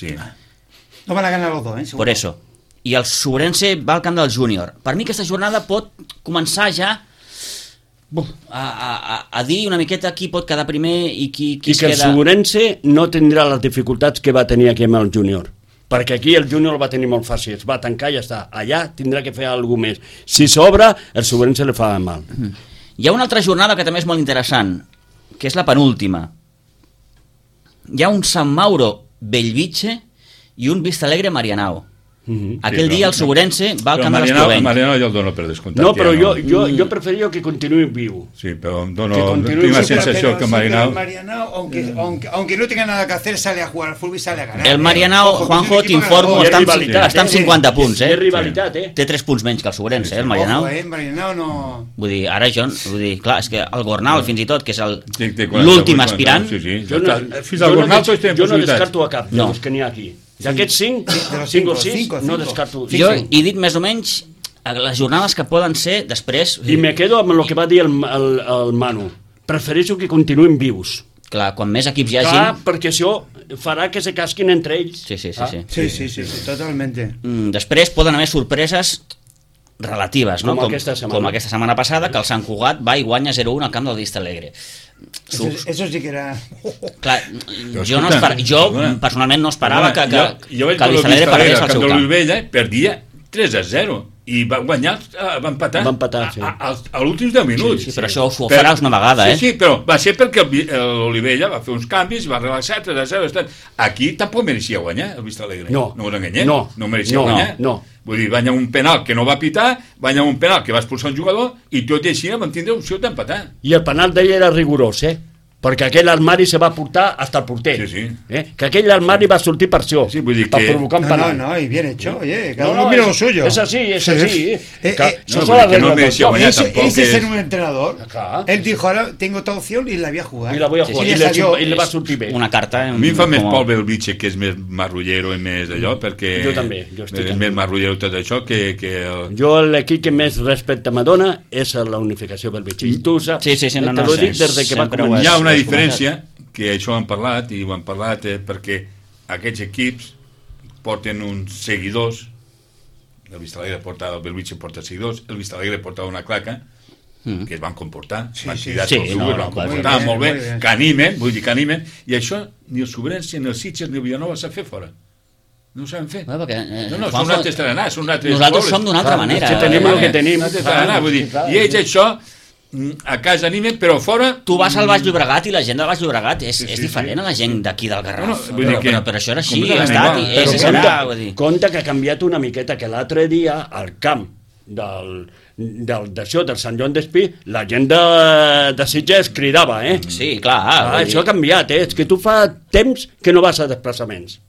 Speaker 3: No van a ganar los dos,
Speaker 1: Por eso. I el Sobrense va al camp del júnior. Per mi aquesta jornada pot començar ja a dir una miqueta qui pot quedar primer i qui es queda...
Speaker 4: I que el Sobrense no tindrà les dificultats que va tenir aquí amb el júnior, perquè aquí el júnior el va tenir molt fàcil, es va tancar i ja està. Allà tindrà que fer alguna més. Si s'obre, el Sobrense li fa mal.
Speaker 1: Hi ha una altra jornada que també és molt interessant, que és la penúltima. Hi ha un Sant Mauro Bellvitge i un Vista Alegre Marianao. Aquell dia el Sobrense va al camp de l'Esprovenc.
Speaker 2: Marianao jo el dono per descomptat.
Speaker 4: No, però jo preferiria que continuï viu.
Speaker 2: Sí, però tinc la sensació que
Speaker 3: Marianao, aunque no tenga nada que hacer, sale a jugar al fútbol y sale a ganar.
Speaker 1: El Marianao, Juanjo, t'informo, està amb 50 punts,
Speaker 4: És rivalitat,
Speaker 1: Té 3 punts menys que el Sobrense, el Marianao.
Speaker 3: Marianao no...
Speaker 1: Vull dir, ara jo, clar, és que el Gornal, fins i tot, que és l'últim aspirant...
Speaker 2: Fins al Gornal tots tenen possibilitats.
Speaker 4: Jo no descarto a cap dels que n'hi ha aquí. D'aquests 5 o 6, no descarto.
Speaker 1: Jo he dit més o menys les jornades que poden ser després...
Speaker 4: I me quedo amb el que va dir el Manu. Prefereixo que continuïn vius.
Speaker 1: Clar, quan més equips hi hagi...
Speaker 4: Clar, perquè això farà que se casquin entre ells.
Speaker 3: Sí, totalmente.
Speaker 1: Després poden haver sorpreses relatives, no?
Speaker 4: Com
Speaker 1: aquesta setmana passada, que el Sant Cugat va i guanya 0-1 al camp del Vista Alegre.
Speaker 3: Eso sí que era...
Speaker 1: Clar, jo personalment no esperava que el Vista Alegre perdés al seu camp.
Speaker 2: L'Olivella perdia 3-0 i va guanyar, va empatar a l'últims 10 minuts.
Speaker 1: Sí, però això ho faràs una vegada,
Speaker 2: Sí, però va ser perquè l'Olivella va fer uns canvis, va relaxar, 3-0. Aquí tampoc mereixia guanyar el Vista Alegre. No us enganyem, no mereixia guanyar. Vull dir, va anar un penal que no va pitar, va anar un penal que va expulsar un jugador i tot i així vam tindre opció d'empatar.
Speaker 4: I el penal d'ell era rigorós, perquè aquell armari se va portar hasta el porter. Que aquell armari va sortir per això, per provocar un penal.
Speaker 3: No, y bien hecho, oye, cada uno mira lo suyo.
Speaker 4: Es así.
Speaker 2: Eso son las reglas del juego.
Speaker 3: Ese es ser un entrenador. Él dijo, ahora tengo esta opción y la voy a jugar.
Speaker 4: I la voy a jugar, i le va sortir bé.
Speaker 1: Una carta...
Speaker 2: A mi em fa més por Bellvitge, que és més marrullero i més d'allò, perquè...
Speaker 4: Jo també,
Speaker 2: és més marrullero tot això que...
Speaker 4: Jo l'equip que més respecte m'adona és la unificació Bellvitge. I tu saps, te lo dic des que va començar.
Speaker 2: Hi ha una diferència, que això ho han parlat, perquè aquests equips porten uns seguidors, el Vista Alegre porta, el Bellvitge porta seguidors, el Vista Alegre porta una claca, que es van comportar, van comportar molt bé, que animen, i això ni el Sobrense, ni el Sitges, ni el Villanova s'ha fet fora. No ho saben fer. No, són altres tarannars, són altres...
Speaker 1: Nosaltres som d'una altra manera.
Speaker 4: Tenim el que tenim.
Speaker 2: I ells això... a casa animen, però fora...
Speaker 1: Tu vas al Baix Llobregat i la gent del Baix Llobregat és diferent a la gent d'aquí del Garraf. Però això era així, ha estat, i és serà.
Speaker 4: Compte que ha canviat una miqueta, que l'altre dia al camp del Sant Joan d'Espí la gent de Sitges cridava,
Speaker 1: Sí, clar.
Speaker 4: Això ha canviat, és que tu fa temps que no vas a desplaçaments.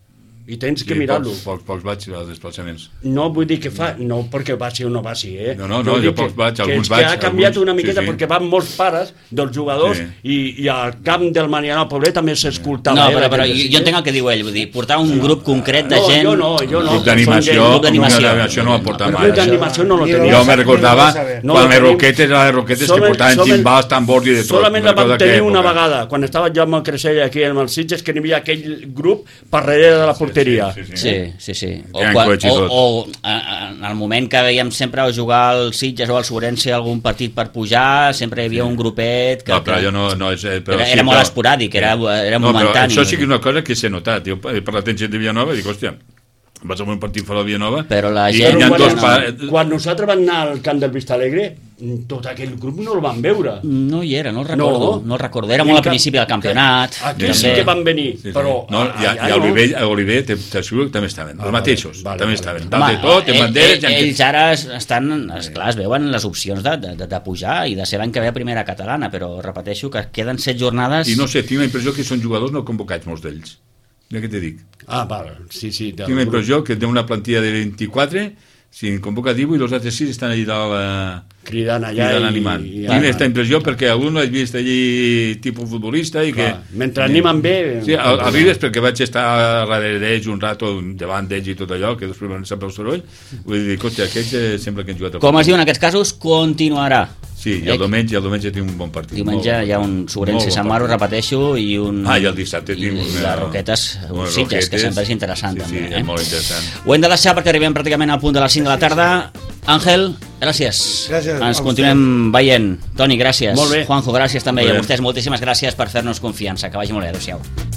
Speaker 4: I tens que mirar-lo.
Speaker 2: Pocs vaig als desplaçaments.
Speaker 4: No vull dir que fa... No perquè vagi o no vagi,
Speaker 2: No, jo pocs vaig, alguns vaig.
Speaker 4: Que ha canviat una miqueta perquè van molts pares dels jugadors i al camp del Marianao Poblet també s'escoltava.
Speaker 1: No, però jo entenc el que diu ell, vull dir, portar un grup concret de gent...
Speaker 4: Jo no.
Speaker 2: Grup d'animació no va portar mai.
Speaker 4: Grup d'animació no lo tenia.
Speaker 2: Jo me recordava quan les roquetes que portaven gimbals, tambors i de tot.
Speaker 4: Solament la vam tenir una vegada, quan estava jo amb el Creixell aquí amb els Sitges, que n'hi havia aquell grup per darrere de la porteria porteria.
Speaker 1: Sí. O en el moment que veiem sempre jugar al Sitges o al Sobrense algun partit per pujar, sempre hi havia un grupet que...
Speaker 2: No, però allò no és...
Speaker 1: Era molt esporàdic, era momentani.
Speaker 2: Això sí que és una cosa que s'ha notat. Jo he parlat amb gent de Villanova i dic, hòstia, vas a un partit fora de Villanova...
Speaker 1: Però la gent...
Speaker 4: Quan nosaltres vam anar al camp del Vistalegre, tot aquell grup no el van veure.
Speaker 1: No hi era, no el recordo. Era molt al principi del campionat.
Speaker 4: Aquí sí que van venir, però...
Speaker 2: I a Oliver t'asseguro que també estaven, els mateixos, també estaven. Dalt de tot, en banderes...
Speaker 1: Ells ara estan, esclar, es veuen les opcions de pujar i de ser l'any que ve a primera catalana, però repeteixo que queden 7 jornades...
Speaker 2: I no sé, tinc la impressió que són jugadors no convocats, molts d'ells. Mira què te dic.
Speaker 4: Sí.
Speaker 2: Tinc la impressió que té una plantilla de 24, si convoca 18 i els altres 6 estan allà dalt
Speaker 4: cridant allà
Speaker 2: animant. Tinc aquesta impressió perquè algun l'he vist allí tipus futbolista i que...
Speaker 4: Mentre animen bé...
Speaker 2: Sí, arribes perquè vaig estar darrere d'ells un rato, davant d'ells i tot allò, que després van sempre el soroll, vull dir, hòstia, aquests sembla que han jugat...
Speaker 1: Com es diu en aquests casos, continuarà.
Speaker 2: Sí, i el diumenge tinc un bon partit.
Speaker 1: Diumenge hi ha un Sobrense Sant Maro, repeteixo, i un...
Speaker 2: I el dissabte tinc
Speaker 1: les Roquetes, Sitges, que sempre és interessant.
Speaker 2: Sí, és molt interessant.
Speaker 1: Ho hem de deixar perquè arribem pràcticament al punt de les 5 de la tarda. Àngel, gràcies. Ens continuem veient. Toni, gràcies.
Speaker 4: Molt bé.
Speaker 1: Juanjo, gràcies també. I a vostès moltíssimes gràcies per fer-nos confiança. Que vagi molt bé. Adéu-siau.